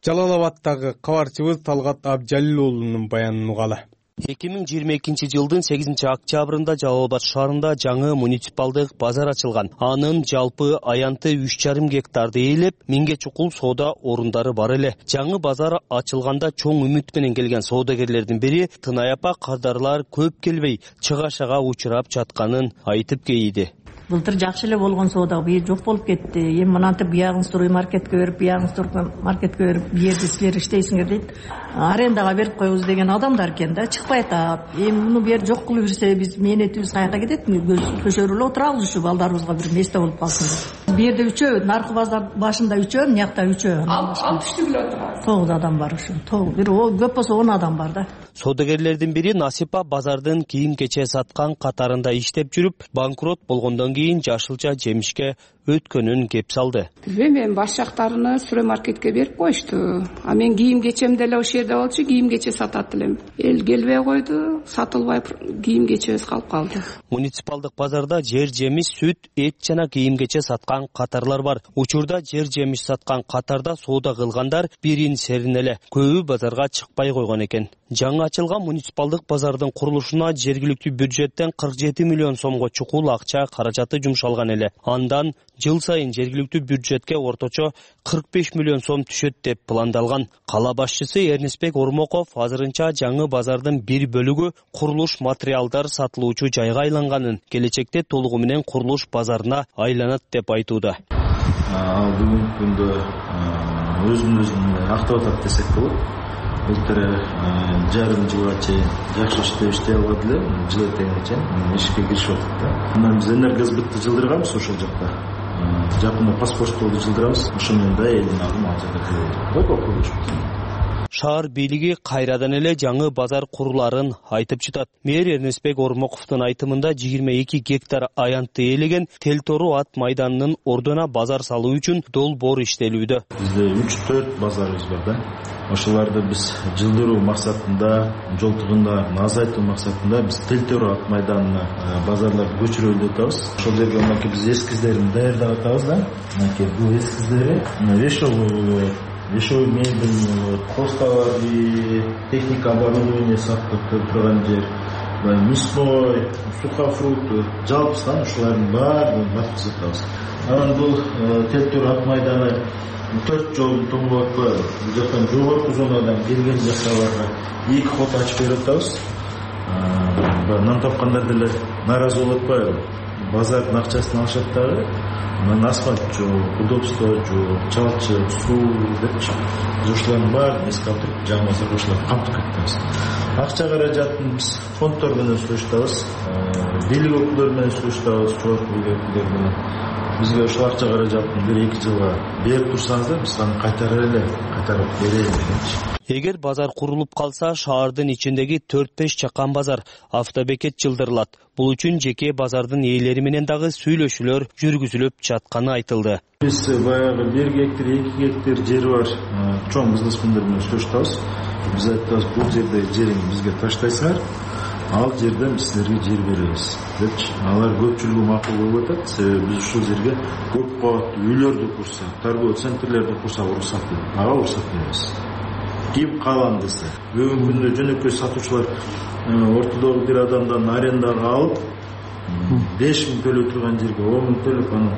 Жалал Абаддагы кабарчыбыз Талгат Абжалил уулунун баянын угалы. 2022 жылдын 8 октябрында Жалал Абад шаарында жаңы муниципалдык базар ачылган. Анын жалпы аянты 3,5 гектарды ээлеп, 1000 чукул соода орундары бар эле. Жаңы базар ачылганда чоң үмүт менен келген соодагерлердин бири Тынай апа кардарлар көп келбей, чыгашага учурап жатканын айтып кейиди. Былтыр жакшы эле болгон соода бир жок болуп кетти. Эми мынантип буягын строй маркетке берип, буягын строй маркетке берип, бу жерде силер иштейсиңер дейт. Арендага берип коебуз деген адамдар экен да, чыкпай атат. Эми муну бир жок кылып жүрсө биз мээнетибиз каяка кетет? Көчөрүп эле отурабыз ушу балдарыбызга бир месте болуп калсын. Бу жерде 3 наркы базар башында 3, мыякта 3. Ал түштү биле отурабыз. 9 адам бар ушу. 9. Бир көп болсо 10 адам бар да. Соодагерлердин бири Насипа базардын кийим-кече саткан катарында иштеп жүрүп, банкрот болгондон кийин жашылча жемишке өткөнүн кеп салды. Мен баш жактарыны строй маркетке берип коюшту. А мен кийим-кечем деле ошол жерде болчу, кийим-кече сатат элем. Эл келбей койду, сатылбай кийим-кечебиз калып калды. Муниципалдык базарда жер жемиш, сүт, эт жана кийим-кече саткан катарлар бар. Учурда жер жемиш саткан катарда соода кылгандар бирин серин эле. Көбү базарга чыкпай койгон экен. Жаңы ачылган муниципалдык базардын курулушуна жергиликтүү бюджеттен 47 миллион сомго чукул акча каражаты жумшалган эле. Андан жыл сайын жергиликтүү бюджетке орточо 45 миллион сом түшөт деп пландалган. Кала башчысы Эрнестбек Ормоков азырынча жаңы базардын бир бөлүгү курулуш материалдар сатылуучу жайга айланганын, келечекте толугу менен курулуш базарына айланат деп айтууда. Ал бүгүнкү күндө өзүн актап атат десек болот. Былтыр жарым жылга чейин жакшы иштей албады эле, жыл этегине чейин ишке киришип атат да. Анан биз энергосбытты жылдырганбыз ошол жакта. Жакында паспорттолду жылдырабыз. Ошол менен да элдин агымы ал жакта келет. Шаар бийлиги кайрадан эле жаңы базар куруларын айтып жатат. Мэр Эрнестбек Ормоковдун айтымында 22 гектар аянтты ээлеген Тел Тору ат майданынын ордуна базар салуу үчүн долбоор иштелүүдө. Бизде 3-4 базарыбыз бар да. Ошоларды биз жылдыруу максатында, жол тыгындарын азайтуу максатында биз Тел Тору ат майданына базарларды көчүрөлү деп атабыз. Ошол жерге мынакей биз эскиздерин даярдап атабыз да. Мынакей бул эскиздери вешовый мебель, хостовары, техника оборудования сатып турган жер, мясной, сухофрукты, жалпысынан ушулардын баарын баткызып атабыз. Анан бул Тел Тору ат майданы 4 жолдун тоң болуп атпайбы? Бул жактан жогорку зонадан келген жактагыларга 2 ход ачып берип атабыз. Нан тапкандар деле нааразы болуп атпайбы? Базардын акчасын алышат дагы. Асфальт жок, удобство жок, чалчы, суу депчи. Биз ушулардын баарын эске алып туруп, жаңы базарга ушуларды камтып кетебиз. Акча каражатын биз фонддор менен сүйлөшөбүз, бийлик өкүлдөрү менен сүйлөшөбүз, жогорку бийлик өкүлдөрү менен. Бизге ушул акча каражатын 1-2 жылга берип турсаңыздар, биз аны кайтарып беребиз депчи. Эгер базар курулуп калса, шаардын ичиндеги 4-5 чакан базар, автобекет жылдырылат. Бул үчүн жеке базардын ээлери менен дагы сүйлөшүүлөр жүргүзүлүп жатканы айтылды. Биз баягы 1 гектар, 2 гектар жери бар чоң бизнесмендер менен сүйлөшөбүз. Биз айтабыз, бул жерде жериңди бизге таштайсыңар, ал жерден биз силерге жер беребиз депчи. Алар көпчүлүгү макул болуп атат. Себеби биз ушул жерге көп кабаттуу үйлөрдү курсак, торговый центрлерди курсак уруксат беребиз. Ага уруксат беребиз. Ким калам десе, бүгүнкү күндө жөнөкөй сатуучулар ортодогу бир адамдан арендага алып 5 миң төлөп турган жерге 10 миң төлөп анан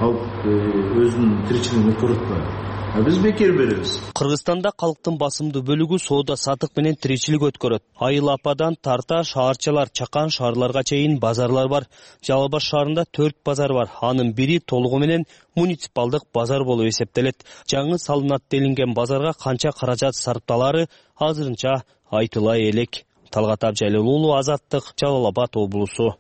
алып өзүнүн тиричилигин өткөрүп атпайбы? Биз бекер беребиз. Кыргызстанда калктын басымдуу бөлүгү соода сатык менен тиричилик өткөрөт. Айыл ападан тарта шаарчалар, чакан шаарларга чейин базарлар бар. Жалал Абад шаарында 4 базар бар. Анын бири толугу менен муниципалдык базар болуп эсептелет. Жаңы салынат делинген базарга канча каражат сарпталары азырынча айтылай элек. Талгат Абжалил уулу, Азаттык, Жалал Абад облусу.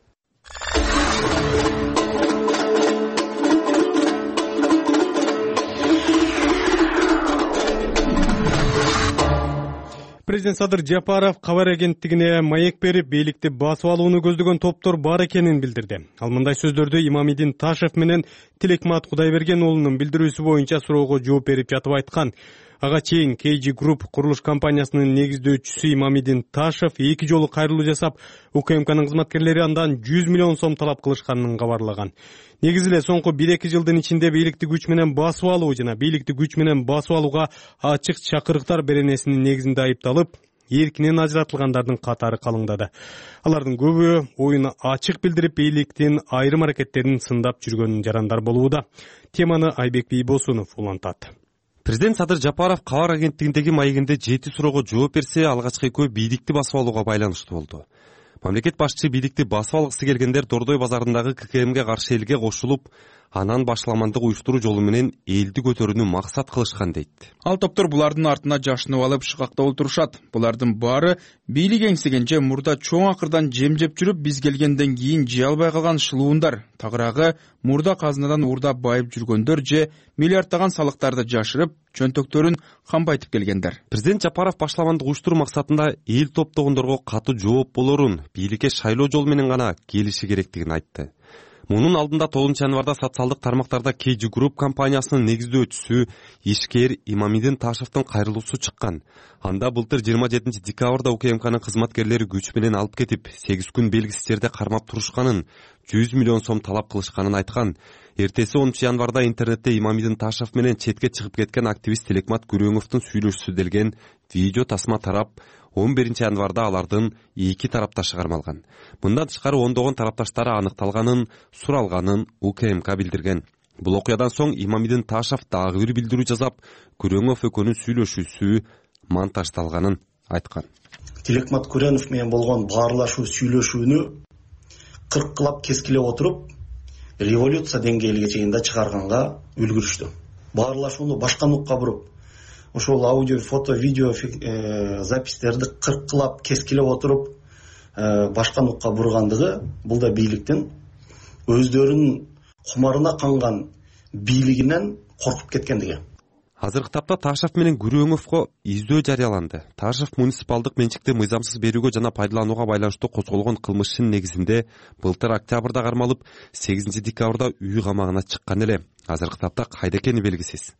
Президент Садыр Жапаров кабар агенттигине маек берип, бийликти басып алууну көздөгөн топтор бар экенин билдирди. Ал мындай сөздөрдү Имамидин Ташев менен Тилекмат Кудайберген уулунун билдирүүсү боюнча суроого жооп берип жатып айткан. Ага чейин KG Group курулуш компаниясынын негиздөөчүсү Имамидин Ташев 2 жолу кайрылуу жасап, УКМКнын кызматкерлери андан 100 миллион сом талап кылышканын кабарлаган. Негизи эле соңку 1-2 жылдын ичинде бийликти күч менен басып алуу жана бийликти күч менен басып алууга ачык чакырыктар беренесинин негизинде айыпталып, эркинен ажыратылгандардын катары калыңдады. Алардын көбү оюн ачык билдирип, бийликтин айрым аракеттерин сындап жүргөн жарандар болууда. Теманы Айбек Бийбосунов улантат. Президент Садыр Жапаров кабар агенттигиндеги маегинде 7 суроого жооп берсе, алгачкы экөө бийликти басып алууга байланыштуу болду. Мамлекет башчысы бийликти басып алгысы келгендер Дордой базарындагы ККМге каршы элге кошулуп, анан башламандык уюштуруу жолу менен элди көтөрүүнү максат кылышкан дейт. Ал топтор булардын артына жашынып алып шыкакта отурушат. Булардын баары бийлик эңсегенче мурда чоң акырдан жем жеп жүрүп, биз келгенден кийин жей албай калган шылуундар, тагыраагы мурда казынадан уурдап байып жүргөндөр же миллиарддаган салыктарды жашырып, чөнтөктөрүн камбайтып келгендер. Президент Жапаров башламандык уюштуруу максатында эл топтогондорго катуу жооп болорун, бийликке шайлоо жолу менен гана келиши керектигин айтты. Мунун алдында 9 январда социалдык тармактарда KG Group компаниясынын негиздөөчүсү ишкер Имамидин Ташевдин кайрылуусу чыккан. Анда былтыр 27 декабрда УКМКнын кызматкерлери күч менен алып кетип, 8 күн белгисиз жерде кармап турушканын, 100 миллион сом талап кылышканын айткан. Эртеси 10 январда интернетте Имамидин Ташев менен четке чыгып кеткен активист Тилекмат Күрөңовдун сүйлөшүүсү делген видео тасма тарап, 11 январда алардын 2 тарапташы кармалган. Мындан тышкары ондогон тарапташтары аныкталганын, суралганын УКМК билдирген. Бул окуядан соң Имамидин Ташев дагы бир билдирүү жасап, Күрөңов экөөнүн сүйлөшүүсү монтаждалганын айткан. Тилекмат Күрөнов менен болгон баарлашуу сүйлөшүүнү кыркылап кескилеп отуруп, революция деңгээлиге чейин да чыгарганга үлгүрүштү. Баарлашууну башка нукка буруп, ошол аудио, фото, видео запистерди кыркылап кескилеп отуруп, башка нукка бургандыгы бул да бийликтин өздөрүнүн кумарына канган бийлигинен коркуп кеткендиги. Азыркы тапта Ташев менен Күрөңовго издөө жарыяланды. Ташев муниципалдык менчикти мыйзамсыз берүүгө жана пайдаланууга байланыштуу козголгон кылмыштын негизинде былтыр октябрда кармалып, 8 декабрда үй камагына чыккан эле. Азыркы тапта кайда экени белгисиз.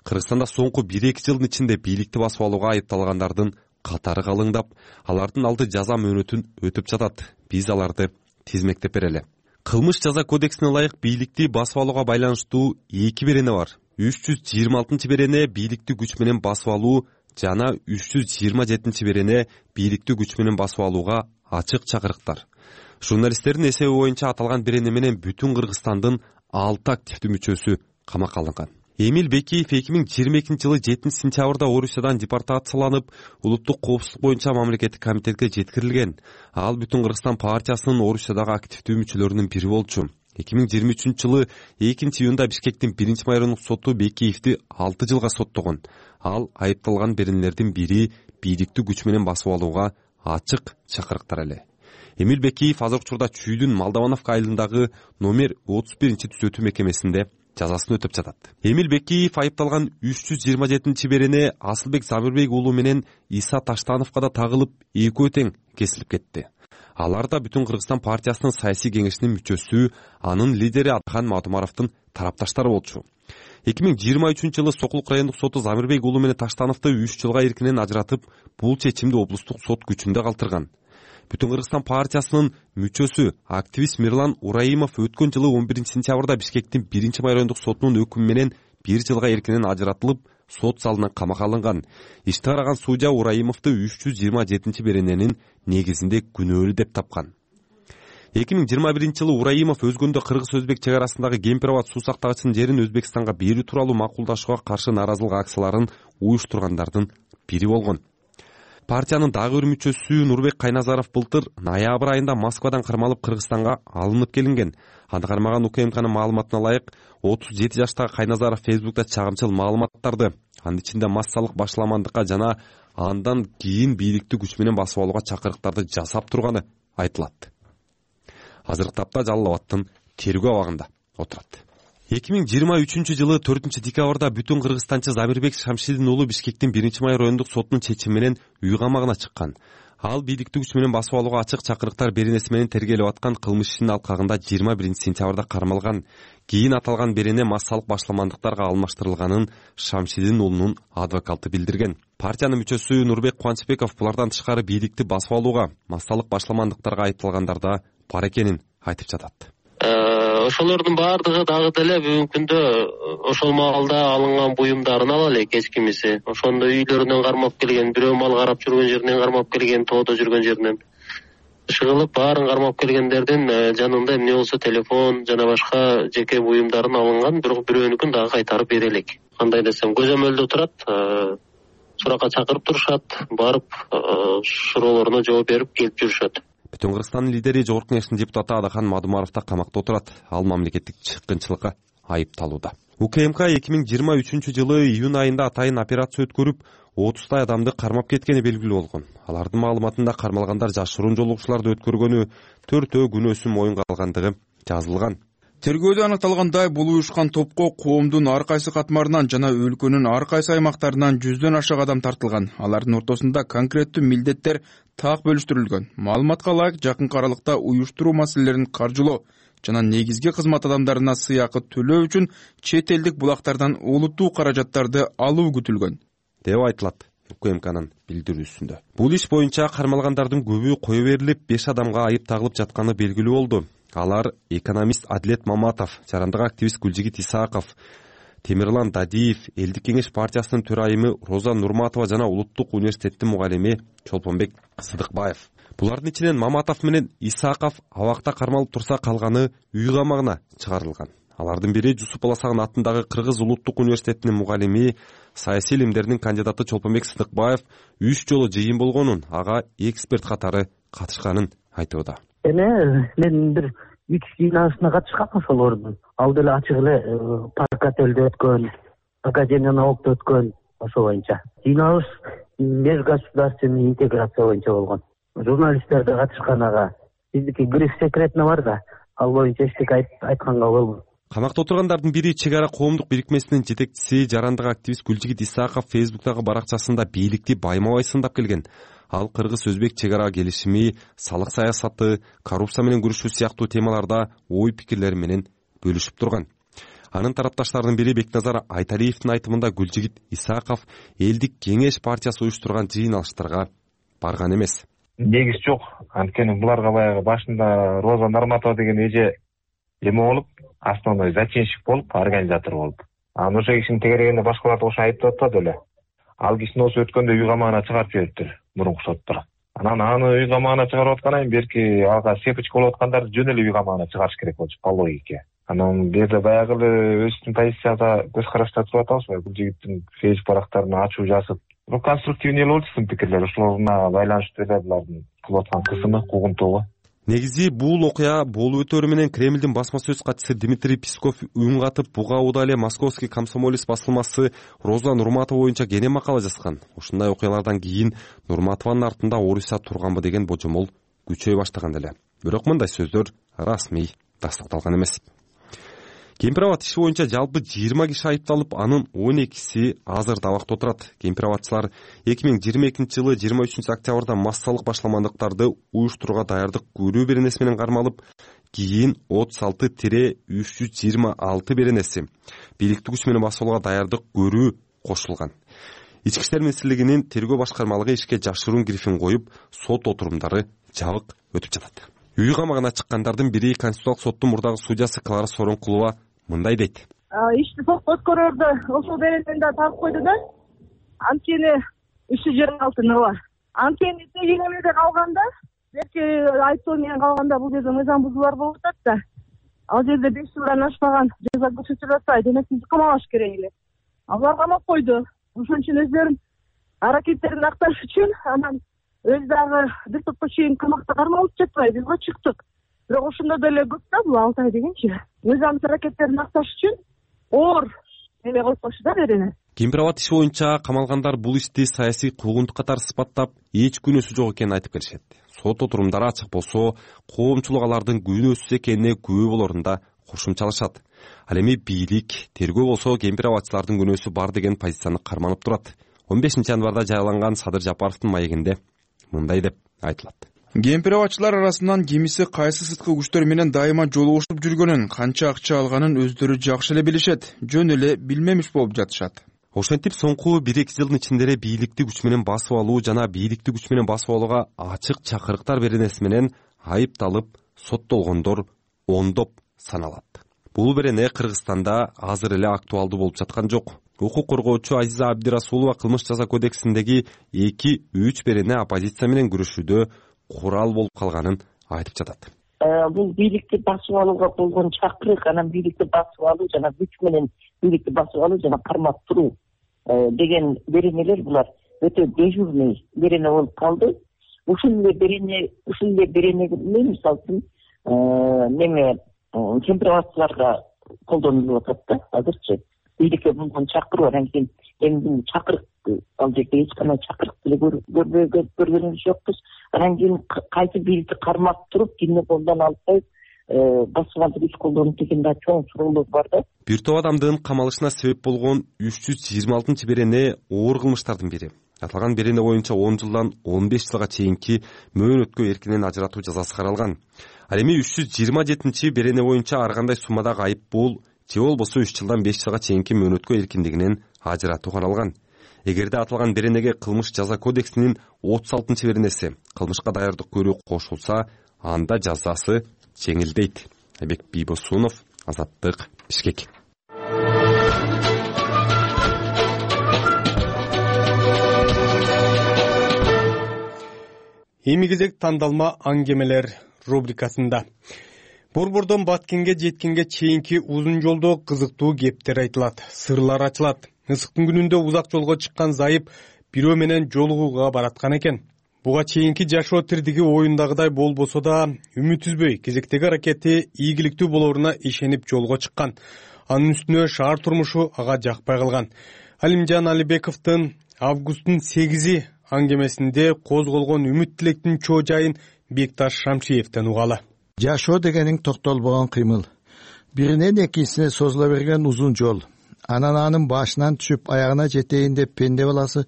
Кыргызстанда соңку 1-2 жылдын ичинде бийликти басып алууга айыпталгандардын катары калыңдап, алардын алды жаза мөөнөтүн өтүп жатат. Биз аларды тизмектеп берели. Кылмыш жаза кодексине ылайык бийликти басып алууга байланыштуу 2 берене бар. 326 берене бийликти күч менен басып алуу жана 327 берене бийликти күч менен басып алууга ачык чакырыктар. Журналисттердин эсеби боюнча аталган берене менен бүтүн Кыргызстандын 6 активдүү мүчөсү камакка алынган. Эмил Бекиев 2022 жылы 7 сентябрда Орусиядан депортацияланып, улуттук коопсуздук боюнча мамлекеттик комитетке жеткирилген. Ал бүтүн Кыргызстан партиясынын Орусиядагы активдүү мүчөлөрүнүн бири болчу. 2023 жылы 2-июнда Бишкектин 1-майорундук соту Бекиевди 6 жылга соттогон. Ал айыпталган беренелердин бири бийликти күч менен басып алууга ачык чакырыктар эле. Эмил Бекиев азыркы учурда Чүйдүн Молдовановка айылындагы номер 31-түзөтүү мекемесинде жазасын өтөп жатат. Эмил Бекиев айыпталган 327 берене Асылбек Замирбек уулу менен Иса Таштановго да тагылып, экөө тең кесилип кетти. Алар да бүтүн Кыргызстан партиясынын саясий кеңешинин мүчөсү, анын лидери Атхан Матумаровдун тарапташтары болчу. 2023 жылы Сокулук райондук соту Замирбек уулу менен Таштановду 3 жылга эркинен ажыратып, бул чечимди облустук сот күчүндө калтырган. Бүтүн Кыргызстан партиясынын мүчөсү активист Мирлан Ураимов өткөн жылы 11 сентябрда Бишкектин 1-майорундук сотунун өкүмү менен 1 жылга эркинен ажыратылып, сот залынан камакка алынган. Ишти караган судья Ураимовду 327 берененин негизинде күнөөлүү деп тапкан. 2021 жылы Ураимов өзгөндө кыргыз-өзбек чек арасындагы Кемпироват суу сактагычынын жерин Өзбекстанга берүү тууралуу макулдашууга каршы наразылык акцияларын уюштургандардын бири болгон. Партиянын дагы бир мүчөсү Нурбек Кайназаров былтыр ноябрь айында Москвадан кармалып Кыргызстанга алынып келинген. Аны кармаган УКМКнын маалыматына ылайык 37 жаштагы Кайназаров Фейсбукта чагымчыл маалыматтарды, анын ичинде массалык башламандыкка жана андан кийин бийликти күч менен басып алууга чакырыктарды жасап турганы айтылат. Азыркы тапта Жалал Абадтын тергөө абагында отурат. 2023 4 декабрда бүтүн кыргызстанчы Замирбек Шамшидин уулу Бишкектин 1-май райондук сотунун чечими менен үй камагына чыккан. Ал бийликтик күч менен басып алууга ачык чакырыктар беренеси менен тергелип аткан кылмыш ишинин алкагында 21-сентябрда кармалган. Кийин аталган берене массалык башламандыктарга алмаштырылганын Шамшидин уулунун адвокаты билдирген. Партиянын мүчөсү Нурбек Кубанычбеков булардан тышкары бийликти басып алууга массалык башламандыктарга айыпталгандар да бар экенин айтып жатат. Ошолордун баардыгы дагы деле бүгүнкү күндө ошол маалда алынган буюмдарын ала элек, эскимиси. Ошондо үйлөрүнөн кармап келген, бирөө мал карап жүргөн жеринен кармап келген, тоодо жүргөн жеринен чыгылып, баарын кармап келгендердин жанында эмне болсо телефон жана башка жеке буюмдарын алынган, бирок бирөөнүкүн дагы кайтарып бере элек. Кандай десем, көзөмөлдө турат, суракка чакырып турушат, барып суроолоруна жооп берип келип жүрүшөт. Бүтүн Кыргызстандын лидери Жогорку Кеңештин депутаты Адахан Мадумаров да камакта отурат. Ал мамлекеттик чыккынчылыкка айыпталууда. УКМК 2023 июнь айында атайын операция өткөрүп, 30 адамды кармап кеткени белгилүү болгон. Алардын маалыматында кармалгандар жашыруун жолугушууларды өткөргөнү, 4 күнөөсүн моюнга алгандыгы жазылган. Тергөөдө аныкталгандай, бул уюшкан топко коомдун ар кайсы катмарынан жана өлкөнүн ар кайсы аймактарынан 100дөн ашык адам тартылган. Алардын ортосунда конкреттүү милдеттер так бөлүштүрүлгөн. Маалыматка ылайык, жакынкы аралыкта уюштуруу маселелерин каржылоо жана негизги кызмат адамдарына сыйакы төлөө үчүн чет элдик булактардан олуттуу каражаттарды алуу күтүлгөн деп айтылат УКМКнын билдирүүсүндө. Бул иш боюнча кармалгандардын көбү кое берилип, 5 адамга айып тагылып жатканы белгилүү болду. Алар экономист Адилет Маматов, жарандык активист Гүлжигит Исааков, Темирлан Дадиев, Элдик кеңеш партиясынын төрайымы Роза Нурматова жана Улуттук университеттин мугалими Чолпонбек Сыдыкбаев. Булардын ичинен Маматов менен Исааков абакта кармалып турса, калганы үй камагына чыгарылган. Алардын бири Жусуп Баласагын атындагы Кыргыз Улуттук университетинин мугалими, саясий илимдердин кандидаты Чолпонбек Сыдыкбаев 3 жолу жыйын болгонун, ага эксперт катары катышканын айтууда. Мен бир 3 жыйналышына катышкам ошолордун. Ал деле ачык эле Паркательде өткөн, Академия наукта өткөн, ошол боюнча. Жыйналыш межгосударственный интеграция боюнча болгон. Журналисттер да катышкан ага. Биздики гриф секретно бар да, ал боюнча эчтеке айтканга болбойт. Камакта отургандардын бири Чек ара коомдук бирикмесинин жетекчиси, жарандык активист Гүлжигит Исааков Фейсбуктагы баракчасында бийликти байма-бай сындап келген. Ал кыргыз-өзбек чек ара келишими, салык саясаты, коррупция менен күрөшүү сыяктуу темаларда ой пикирлери менен бөлүшүп турган. Анын тарапташтарынын бири Бекназар Айталиевдин айтымында Гүлжигит Исааков Элдик кеңеш партиясы уюштурган жыйналыштарга барган эмес. Негиз жок. Анткени буларга баягы башында Роза Нурматова деген эже эме болуп, основной зачинщик болуп, организатор болуп. Анан ошо кишинин тегерегинде башкаларды ошо айыптап атпады эле. Ал кишини осы өткөндө үй камагына чыгарып жибериптир мурунку соттор. Анан аны үй камагына чыгарып аткандан кийин берки ага сепочка болуп аткандарды жөн эле үй камагына чыгарыш керек болчу по логике. Анан бул жерде баягы эле өзүбүздүн позицияда көз карашта туруп атабыз. Бул жигиттин фейсбук барактарын ачуу жазып, конструктивный эле болчу сынын пикирлери. Ошолоруна байланыштуу эле булардын кылып аткан кысымы, куугунтугу. Негизи бул окуя болуп өтөрү менен Кремлдин басма сөз катчысы Дмитрий Песков үн катып, буга учурда эле Московский комсомолец басылмасы Роза Нурматова боюнча кенен макала жазган. Ушундай окуялардан кийин Нурматованын артында Орусия турганбы деген божомол күчөй баштаган эле. Бирок мындай сөздөр расмий тастыкталган эмес. Кемпир-абад иши боюнча жалпы 20 киши айыпталып, анын 12си азыр абакта отурат. Кемпир-абадчылар 2022 23 октябрда массалык башламандыктарды уюштурууга даярдык көрүү беренеси менен кармалып, кийин 36-326 беренеси бийликтик күч менен басып алууга даярдык көрүү кошулган. Ички иштер министрлигинин тергөө башкармалыгы ишке жашыруун грифин коюп, сот отурумдары жабык өтүп жатат. Үй камагына чыккандардын бири Конституциялык соттун мурдагы судьясы Клара Сооронкулова мындай дейт. Ишти сотко өткөрөрдө ошол беренени да табып койду да. Анткени 326 бар. Анткени тегелерде калганда, берки айыптоо менен калганда бул жерде мыйзам бузуулар болуп атат да. Ал жерде 5 жылдан ашпаган жаза көрсөтүлүп атпайбы, демек бизди камалаш керек эле. Алар камап койду. Ошон үчүн өздөрүнүн аракеттерин акташ үчүн анан өз дагы бир топко чейин камакта кармалып жатпайбы, бизге чыктык. Бирок ошондо деле көп да бул Алтай дегенчи. Мыйзамдык аракеттерин акташ үчүн оор эме коюп койчу да берени. Кемпир-абад иши боюнча камалгандар бул ишти саясий куугунтук катары сыпаттап, эч күнөөсү жок экенин айтып келишет. Сот отурумдары ачык болсо, коомчулук алардын күнөөсүз экенине күбө болорун да кошумчалашат. Ал эми бийлик, тергөө болсо кемпир абадчылардын күнөөсү бар деген позицияны карманып турат. 15 январда жарыяланган Садыр Жапаровдун маегинде мындай деп айтылат. Кемпир абадчылар арасынан кимиси кайсы сырткы күчтөр менен дайыма жолугушуп жүргөнүн, канча акча алганын өздөрү жакшы эле билишет, жөн эле билмемиш болуп жатышат. Ошентип соңку 1-2 жылдын ичинде бийликти күч менен басып алуу жана бийликти күч менен басып алууга ачык чакырыктар беренеси менен айыпталып соттолгондор ондоп саналат. Бул берене Кыргызстанда азыр эле актуалдуу болуп жаткан жок. Укук коргоочу Азиза Абдирасулова кылмыш жаза кодексиндеги 2-3 берене оппозиция менен күрөшүүдө курал болуп калганын айтып жатат. Бул бийликти басып алууга болгон чакырык, анан бийликти басып алуу жана күч менен бийликти басып алуу жана кармап туруу деген беренелер булар өтө дежурный берене болуп калды. Ушул эле берене мисалы үчүн неме кемпир абадчыларга колдонулуп атат да азырчы. Бийликке болгон чакыруу, анан кийин эми бул чакырык ал жерде эч кандай чакырык деле көргөнүбүз жокпуз. Анан кийин кайсы бийликти кармап туруп кимдин колунан алып коюп басып алып күч колдонуп деген да чоң суроолор бар да. Бир топ адамдын камалышына себеп болгон 326 берене оор кылмыштардын бири. Аталган берене боюнча 10 жылдан 15 жылга чейинки мөөнөткө эркинен ажыратуу жазасы каралган. Ал эми 327 берене боюнча ар кандай суммадагы айыппул же болбосо 3 жылдан 5 жылга чейинки мөөнөткө эркиндигинен ажыратуу каралган. Эгерде аталган беренеге кылмыш жаза кодексинин 36 беренеси кылмышка даярдык көрүү кошулса, анда жазасы жеңилдейт. Айбек Бийбосунов, Азаттык, Бишкек. Эми кезек тандалма аңгемелер рубрикасында. Борбордон баткенге жеткенге чейинки узун жолдо кызыктуу кептер айтылат, сырлар ачылат. Ысыктын күнүндө узак жолго чыккан зайып бирөө менен жолугууга бараткан экен. Буга чейинки жашоо тирдиги оюндагыдай болбосо да, үмүт үзбөй кезектеги аракети ийгиликтүү болоруна ишенип жолго чыккан. Анын үстүнө шаар турмушу ага жакпай калган. Алимжан Алибековдун августтун 8-и аңгемесинде козголгон үмүт тилектин чоо жайын Бекташ Шамшиевден угалы. Жашоо дегениң токтолбогон кыймыл. Биринен экинчисине созула берген узун жол. Анан анын башынан түшүп аягына жетейин деп пенде баласы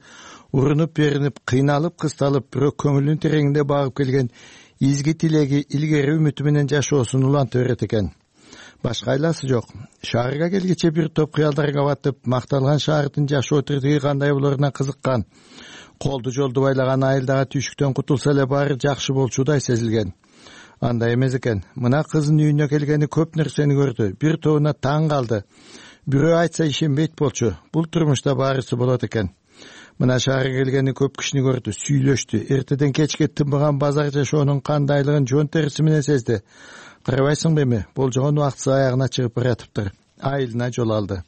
урунуп беринип, кыйналып, кысталып, бирок көңүлүнүн тереңинде багып келген изги тилеги илгери үмүтү менен жашоосун уланта берет экен. Башка айласы жок. Шаарга келгиче бир топ кыялдарга батып, макталган шаардын жашоо тирдиги кандай болоруна кызыккан. Колду жолду байлаган айылдагы түйшүктөн кутулса эле баары жакшы болчудай сезилген. Андай эмес экен. Мына кызын үйүнө келгени көп нерсени көрдү. Бир тобуна таң калды. Бирөө айтса ишенбейт болчу. Бул турмушта баарысы болот экен. Мына шаарга келгени көп кишини көрдү, сүйлөштү. Эртеден кечке тынбаган базар жашоонун кандайлыгын жон териси менен сезди. Карабайсыңбы эми? Болжогон убактысы аягына чыгып баратыптыр. Айылына жол алды.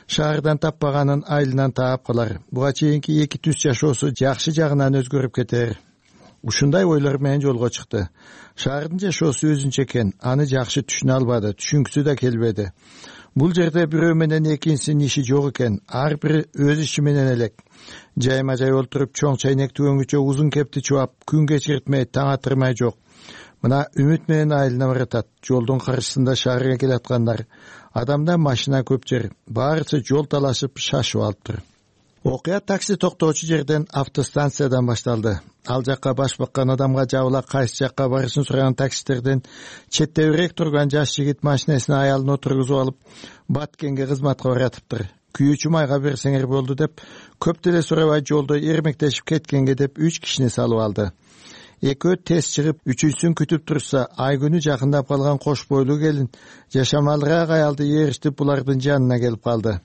Шаардан таппаганын айылынан таап калар. Буга чейинки эки түз жашоосу жакшы жагынан өзгөрүп кетер. Ушундай ойлор менен жолго чыкты. Шаардын жашоосу өзүнчө экен. Аны жакшы түшүнө албады, түшүнгүсү да келбеди. Бул жерде бирөө менен экинчисинин иши жок экен. Ар бири өз иши менен элек. Жайма жай олтуруп чоң чайнек түгөнгүчө узун кепти чубап, күн кечиртмей, таң атырмай жок. Мына үмүт менен айылына баратат. Жолдун каршысында шаарга келаткандар. Адамда машина көп жер. Баарысы жол талашып, шашып алыптыр. Окуя такси токтоочу жерден автостанциядан башталды. Ал жакка баш баккан адамга жабыла кайсы жакка барышын сураган таксистерден четтебирээк турган жаш жигит машинесине аялын отургузуп алып, Баткенге кызматка баратыптыр. Күйүүчү майга берсеңер болду деп, көп деле сурабай жолдо эрмектешип кеткенге деп 3 кишини салып алды. Экөө тез чыгып, үчүнчүсүн күтүп турса, ай күнү жакындап калган кош бойлуу келин жашамалыраак аялды ээрчитип булардын жанына келип калды.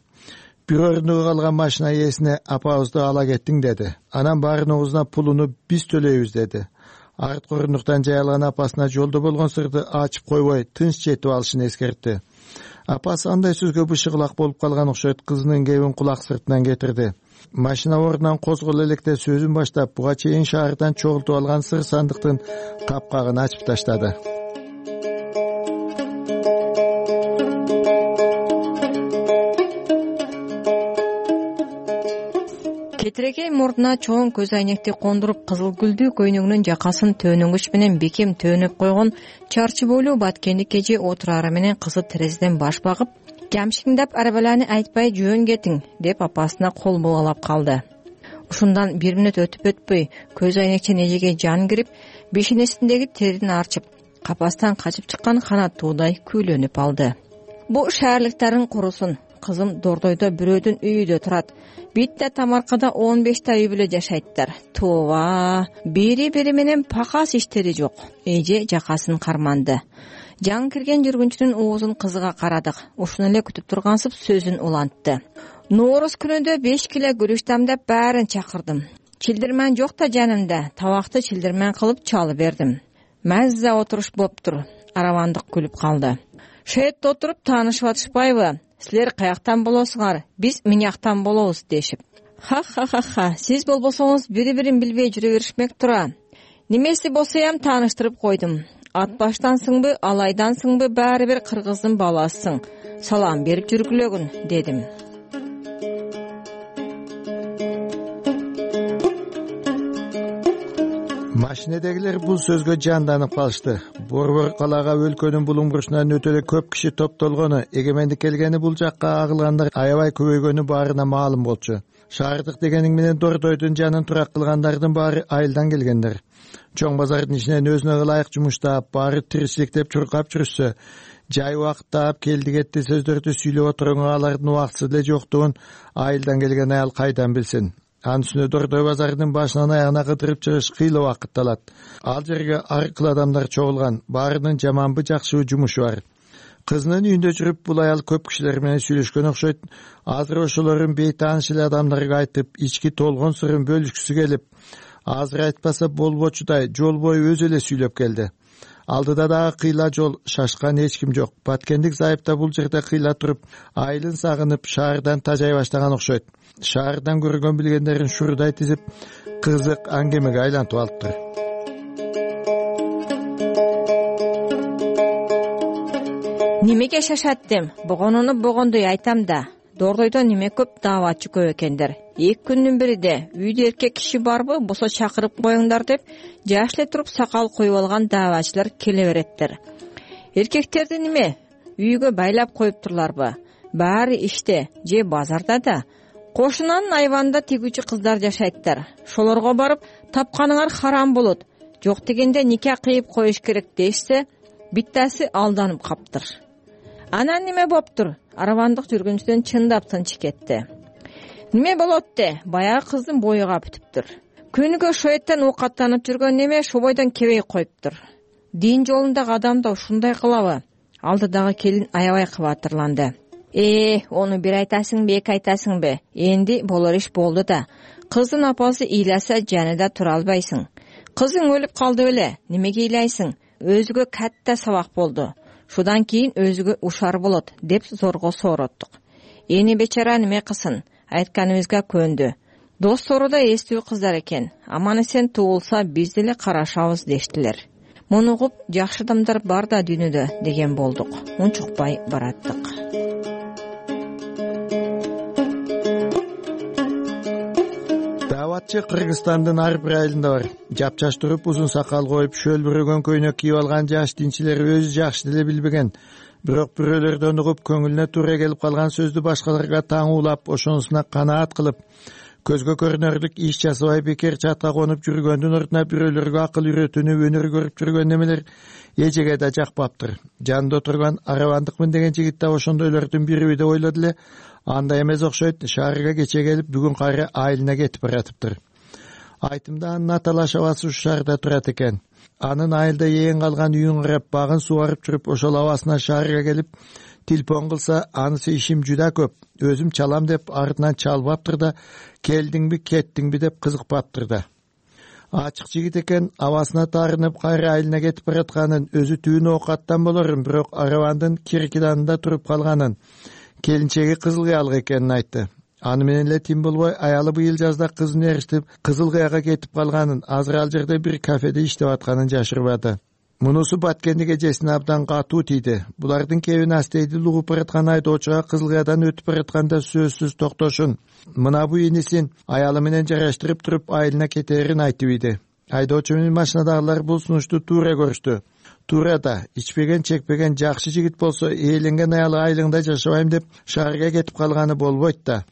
Бир орунуга калган машина ээсине апабызды ала кеттиң деди. Анан баарыныбызына пулуну биз төлөйбүз деди. Арткы орундуктан жайылган апасына жолдо болгон сырды ачып койбой, тынч жетип алышын эскертти. Апасы андай сөзгө бышыгылак болуп калган окшойт, кызынын кебин кулак сыртынан кетирди. Машина ордунан козголо электе сөзүн баштап, буга чейин шаардан чогултуп алган сыр сандыктын капкагын ачып таштады. кетирегей мурдуна чоң көз айнекти кондуруп, кызыл гүлдүү көйнөгүнүн жакасын төнөнгүч менен бекем төөнөп койгон чарчы бойлуу баткендик эже отурары менен кызы терезеден баш багып, «Камшиңдап арабаланы айтпай жөн кетиң» деп апасына кол бугалап калды. Ушундан 1 мүнөт өтпөй көз айнекчен эжеге жан кирип, бешенесиндеги терин арчып, капастан качып чыккан канаттуудай күйлөнүп алды. Бу шаарлыктарын курусун. Кызым Дордойдо бирөөдүн үйүдө турат. Битте Тамаркада 15 үй бүлө жашайттар. Тууба, бири менен пакас иштери жок. Эже жакасын карманды. Жан кирген жүргүнчүнүн оозун кызыга карадык. Ушуну эле күтүп тургансып сөзүн улантты. Нооруз күнүндө 5 киле күрүч дамдап баарын чакырдым. Чилдирмен жок да жанымда. Табакты чилдирмен кылып чалып бердим. Мазза отуруш болуптур. Аравандык күлүп калды. Шетте отуруп таанышып атышпайбы? Силер каяктан болосуңар? Биз Миняктан болобуз дешип. Ха. Сиз болбосоңуз бири-бирин билбей жүрө беришмек тура. Немеси болсоям тааныштырып койдум. Ат баштансыңбы, алайдансыңбы, баары бир кыргыздын баласысың. Салам берип жүргүлөгүн дедим. Машинедегилер бул сөзгө жанданып калышты. Борбор калаага өлкөнүн булуң бурчунан өтө эле көп киши топтолгону, эгемендик келгени бул жакка агылгандар аябай көбөйгөнү баарына маалым болчу. Шаардык дегениң менен Дордойдун жанын турак кылгандардын баары айылдан келгендер. Чоң базардын ичинен өзүнө ылайык жумуштап, баары тиричиликтеп чуркап жүрүшсө, жай убакыттап келди кетти сөздөрдү сүйлөп отурганга алардын убактысы эле жоктугун айылдан келген аял кайдан билсин. Анын үстүнө Дордой базарынын башынан аягына кыдырып чыгыш кыйла убакыт алат. Ал жерге ар кыл адамдар чогулган, баарынын жаманбы жакшыбы жумушу бар. Кызынын үйүндө жүрүп бул аял көп кишилер менен сүйлөшкөн окшойт. Азыр ошолордун бейтааныш эле адамдарга айтып, ички толгон сырын бөлүшкүсү келип, азыр айтпаса болбочудай жол бою өзү эле сүйлөп келди. Алдыда дагы кыйла жол, шашкан эч ким жок. Баткендик зайыпта бул жерде кыйла туруп, айылын сагынып, шаардан тажай баштаган окшойт. Шаардан көргөн билгендерин шурудай тизип, кызык аңгемеге айлантып алыптыр. Немеге шашаттым? Богонуну богондой айтам да. Дордойдо неме көп дааватчы көп экендер. 2 күндүн биринде үйдө эркек киши барбы, болсо чакырып коюңдар деп, жаш эле туруп сакал коюп алган дааватчылар келе береттер. Эркектерди неме үйгө байлап коюптурларбы? Баары иште же базарда да. Кошунанын айванында тигүүчү кыздар жашайттар. Шолорго барып, тапканыңар харам болот. Жок дегенде нике кыйып коюш керек дешсе, биттаси алданып каптыр. Анан неме боптур? Аравандык жүргүнчүдөн чындап тынч кетти. Неме болот де? Баягы кыздын бою капытыптыр. Күнүгө шоеттен оокаттанып жүргөн неме шобойдон кебей коюптур. Дин жолундагы адам да ушундай кылабы? Алдыдагы келин аябай кабатырланды. Ону бир айтасыңбы, эки айтасыңбы? Энди болор иш болду да. Кыздын апасы ыйласа жанында тура албайсың. Кызың өлүп калды беле, немеге ыйлайсың? Өзүгө катта сабак болду. Шудан кийин өзүгө ушар болот деп зорго соороттук. Эни бечара неме кылсын? Айтканыбызга көндү. Достору да эстүү кыздар экен. Аман эсен туулса биз деле карашабыз дештилер. Муну угуп жакшы адамдар бар да дүйнөдө деген болдук. Унчукпай бараттык. Дааватчы Кыргызстандын ар бир айылында бар. Жапчаш туруп, узун сакал коюп, шөлбүрөгөн көйнөк кийип алган жаш динчилер өзү жакшы деле билбеген. Бирок бирөөлөрдөн угуп, көңүлүнө туура келип калган сөздү башкаларга таңуулап, ошонусуна канаат кылып, көзгө көрүнөрлүк иш жасабай бекер чатка конуп жүргөндүн ордуна бирөөлөргө акыл үйрөтүүнү өнөр көрүп жүргөн немелер эжеге да жакпаптыр. Жанында отурган Аравандыкмын деген жигит да ошондойлордун бириби деп ойлоду эле. Андай эмес окшойт. Шаарга кече келип, бүгүн кайра айылына кетип баратыптыр. Айтымда анын аталаш абасы ушу шаарда турат экен. Анын айылда ээн калган үйүн карап, багын сугарып жүрүп, ошол абасына шаарга келип, телефон кылса, анысы ишим жуда көп. Өзүм чалам деп артынан чалбаптыр да, келдиңби, кеттиңби деп кызыкпаптыр да. Ачык жигит экен, абасына таарынып кайра айылына кетип баратканын, өзү түбүн оокаттан болорун, бирок Аравандын киркиданында туруп калганын, келинчеги кызыл кыялык экенин айтты. Аны менен эле тим болбой, аялы быйыл жазда кызын эриштип, кызыл кыяга кетип калганын, азыр ал жерде бир кафеде иштеп атканын жашырбады. Мунусу Баткендик эжесине абдан катуу тийди. Булардын кебин астейди угуп бараткан айдоочуга Кызылкаядан өтүп баратканда сөзсүз токтошун. Мына бу инисин аялы менен жараштырып туруп айылына кетерин айтып иди. Айдоочу менен машинадагылар бул сунушту туура көрүштү. Туура да, ичпеген, чекпеген жакшы жигит болсо ээленген аялы айылыңда жашабайм деп шаарга кетип калганы болбойт да.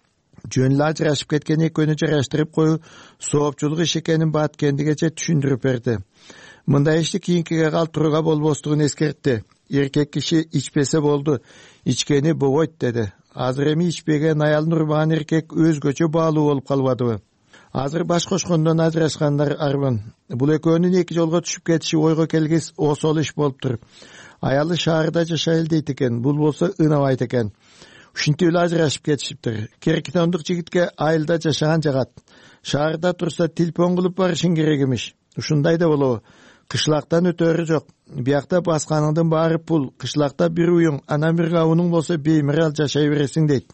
Жөн эле ажырашып кеткен экөөнү жараштырып коюу соопчулук иш экенин Баткендик эже түшүндүрүп берди. Мындай ишти кийинкиге калтырууга болбостугун эскертти. Эркек киши ичпесе болду, ичкени болбойт деди. Азыр эми ичпеген аялын урмаган эркек өзгөчө баалуу болуп калбадыбы? Азыр баш кошкондон ажырашкандар арбын. Бул экөөнүн эки жолго түшүп кетиши ойго келгис осол иш болуптур. Аялы шаарда жашайлы дейт экен, бул болсо ынабайт экен. Ушинтип эле ажырашып кетишиптир. Керкитондук жигитке айылда жашаган жагат. Шаарда турса телефон кылып барышың керек эмиш. Ушундай да болобу? Кышлактан өтөрү жок. Биякта басканыңдын баары пул. Кышлакта бир уюң, анан бир кабының болсо беймирал жашай бересиң дейт.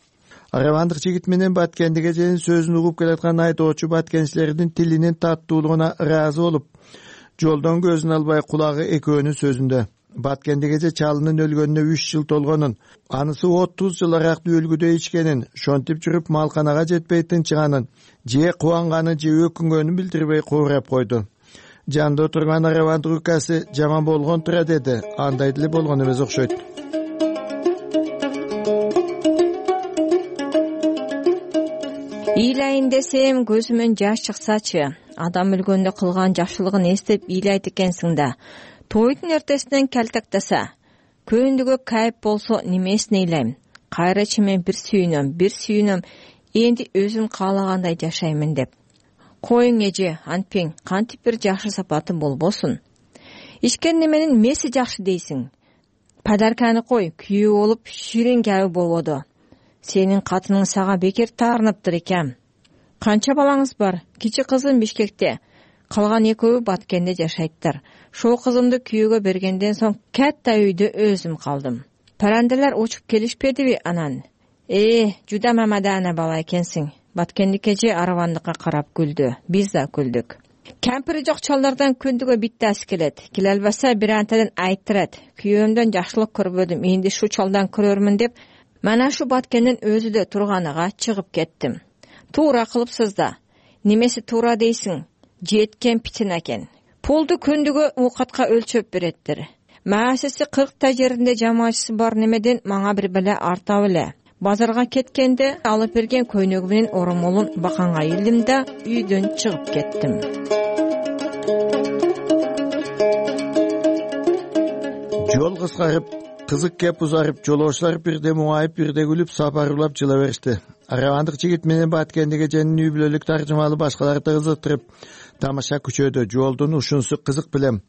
Аравандык жигит менен Баткендик эженин сөзүн угуп келаткан айдоочу баткенчилердин тилинин таттуулугуна ыраазы болуп, жолдон көзүн албай кулагы экөөнүн сөзүндө. Баткендик эже чалынын өлгөнүнө 3 жыл толгонун, анысы 30 жыл аракты өлгүдө ичкенин, шонтип жүрүп малканага жетпей тынчыганын, же кубанганын же өкүнгөнүн билдирбей куурап койду. Жанда отурган аравандык укасы жаман болгон тура деди. Андай деле болгон эмес окшойт. Ыйлайын десем көзүмөн жаш чыксачы. Адам өлгөндө кылган жакшылыгын эстеп ыйлайт экенсиң да. Тойдун эртесинен калтактаса, көндүгө кайып болсо немесин ыйлайм? Кайра чимен бир сүйүнөм, энди өзүм каалагандай жашаймын деп. Коюң эже, антпең, кантип бир жакшы сапаты болбосун. Ичкен неменин меси жакшы дейсиң. Подарканы кой, күйөө болуп ширин кабы болбоду. Сенин катының сага бекер таарыныптыр экен. Канча балаңыз бар? Кичи кызым Бишкекте, калган экөө Баткенде жашайттыр. Шол кызымды күйөөгө бергенден соң катта үйдө өзүм калдым. Паранделер учуп келишпедиби анан? Жуда мамадана бала экенсиң. Баткендик эже аравандыкка карап күлдү. Биз да күлдүк. Кемпири жок чалдардан күндүгө биттasi келет. Келе албаса бир антадан айттырат. Күйөөмдөн жакшылык көрбөдүм, энди шу чалдан көрөрмүн деп, мана шу Баткендин өзүдө турганыга чыгып кеттим. Туура кылыпсыз да. Немеси туура дейсиң? Жеткен питин экен. Пулду күндүгө уукатка өлчөп береттир. Маасиси 40 жеринде жамаачысы бар немеден мага бир беле арта беле. Базарга кеткенде алып берген көйнөгү менен оромолун баканга илдим да үйдөн чыгып кеттим. Жол кыскарып, кызык кеп узарып, жолоочулар бирде муңайып, бирде күлүп, сапарулап жыла беришти. Аравандык жигит менен Баткендик эженин үй бүлөлүк таржымалы башкаларды кызыктырып, тамаша күчөдү. Жолдун ушунусу кызык билем.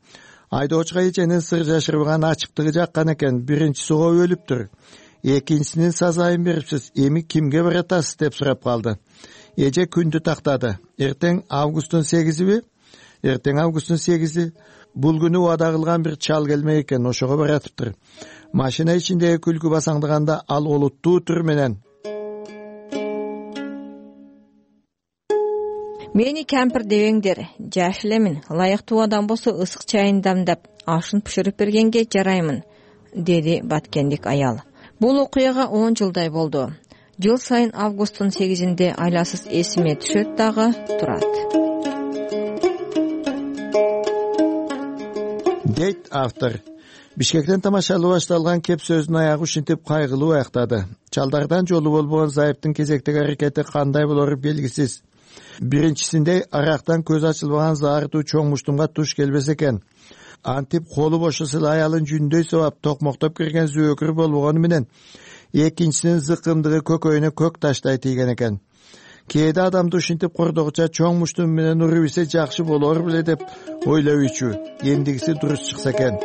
Айдоочуга эженин сыр жашырбаган ачыктыгы жаккан экен. Биринчиси өлүптүр. Экинчисинин сазайын берипсиз, эми кимге баратасыз деп сурап калды. Эже күндү тактады. Эртең августтун 8-би? Эртең августтун 8-и. Бул күнү убада кылган бир чал келмек экен, ошого баратыптыр. Машина ичиндеги күлкү басаңдаганда ал олуттуу түр менен: Мени кемпир дебеңдер, жаш элемин, ылайыктуу адам болсо ысык чайын дамдап, ашын пышырып бергенге жараймын, деди Баткендик аял. Бул окуяга 10 жылдай болду. Жыл сайын августтун 8-inde айласыз эсиме түшөт дагы турат. Дейт автор. Бишкектен тамашалуу башталган кеп сөзүнүн аягы ушинтип кайгылуу аяктады. Чалдардан жолу болбогон Зайыптын кезектеги аракети кандай болору белгисиз. Биринчисинде арактан көз ачылбаган заардуу чоң муштумга туш келбес экен. Антип колу бошосо аялын жүндөй сабап токмоктоп кирген зөөкүр болбогону менен экинчисинин зыкымдыгы көкөйүнө көк таштай тийген экен. Кээде адамды ушинтип кордогуча чоң муштум менен уруп ийсе жакшы болор беле деп ойлойчу. Эмдигиси дурус чыкса экен.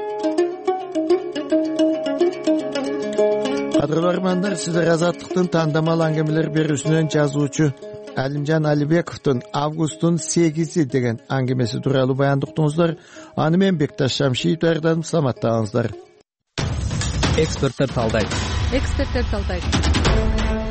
Кадырлуу армандар, сиздер Азаттыктын тандамал аңгемелер берүүсүнөн жазуучу Алимжан Алибековдун августтун 8-и деген аңгемеси тууралуу баяндыктыңыздар. Аны мен Бекташ Шамшиев даярдадым. Саламаттаңыздар. Эксперттер талдайт.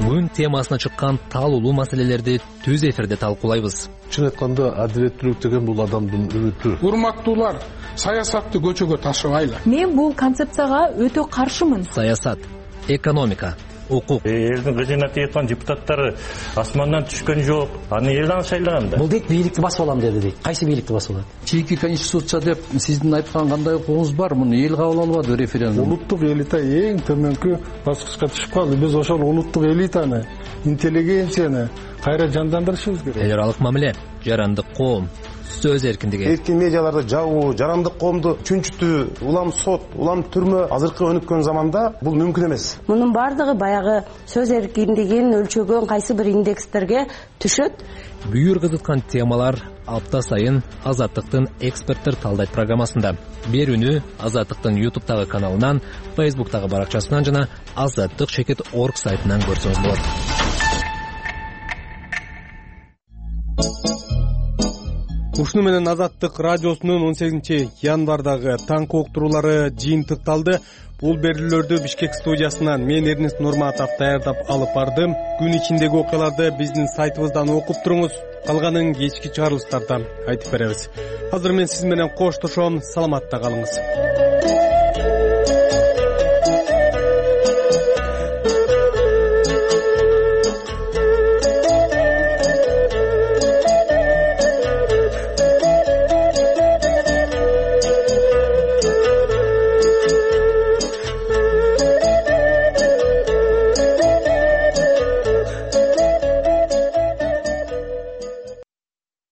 күн темасына чыккан талуулуу маселелерди түз эфирде талкуулайбыз. Чын айтканда адилеттүүлүк деген бул адамдын үмүтү. Урматтуулар, саясатты көчөгө ташыбайлы. Мен бул концепцияга өтө каршымын. Саясат, экономика, укук. Элдин кызына тийип депутаттары асмандан түшкөн жок. Аны эл аны шайлаган да. Бул дейт бийликти басып алам деди дейт. Кайсы бийликти басып алат? Чийки конституция деп сиздин айткан кандай укугуңуз бар? Муну эл кабыл албады референдум. Улуттук элита эң төмөнкү баскычка түшүп калды. Биз ошол улуттук элитаны, интеллигенцияны кайра жандандырышыбыз керек. Эл аралык мамиле, жарандык коом, сөз эркиндиги. Эркин медиаларды жабуу, жарандык коомду чүнчүтүү, улам сот, улам түрмө азыркы өнүккөн заманда бул мүмкүн эмес. Мунун бардыгы баягы сөз эркиндигин өлчөгөн кайсы бир индекстерге түшөт. Бүйүр кызыткан темалар апта сайын Азаттыктын эксперттер талдайт программасында. Берүүнү Азаттыктын YouTube'тагы каналынан, Facebook'тагы баракчасынан жана azattik.org сайтынан көрсөңүз болот. Ушуну менен Азаттык радиосунун 18 январдагы таңкы уктуруулары жыйынтыкталды. Бул берүүлөрдү Бишкек студиясынан мен Эрнест Нурматов даярдап алып бардым. Күн ичиндеги окуяларды биздин сайтыбыздан окуп туруңуз. Калганын кечки чыгарылыштарда айтып беребиз. Азыр мен сиз менен коштошом. Саламатта калыңыз.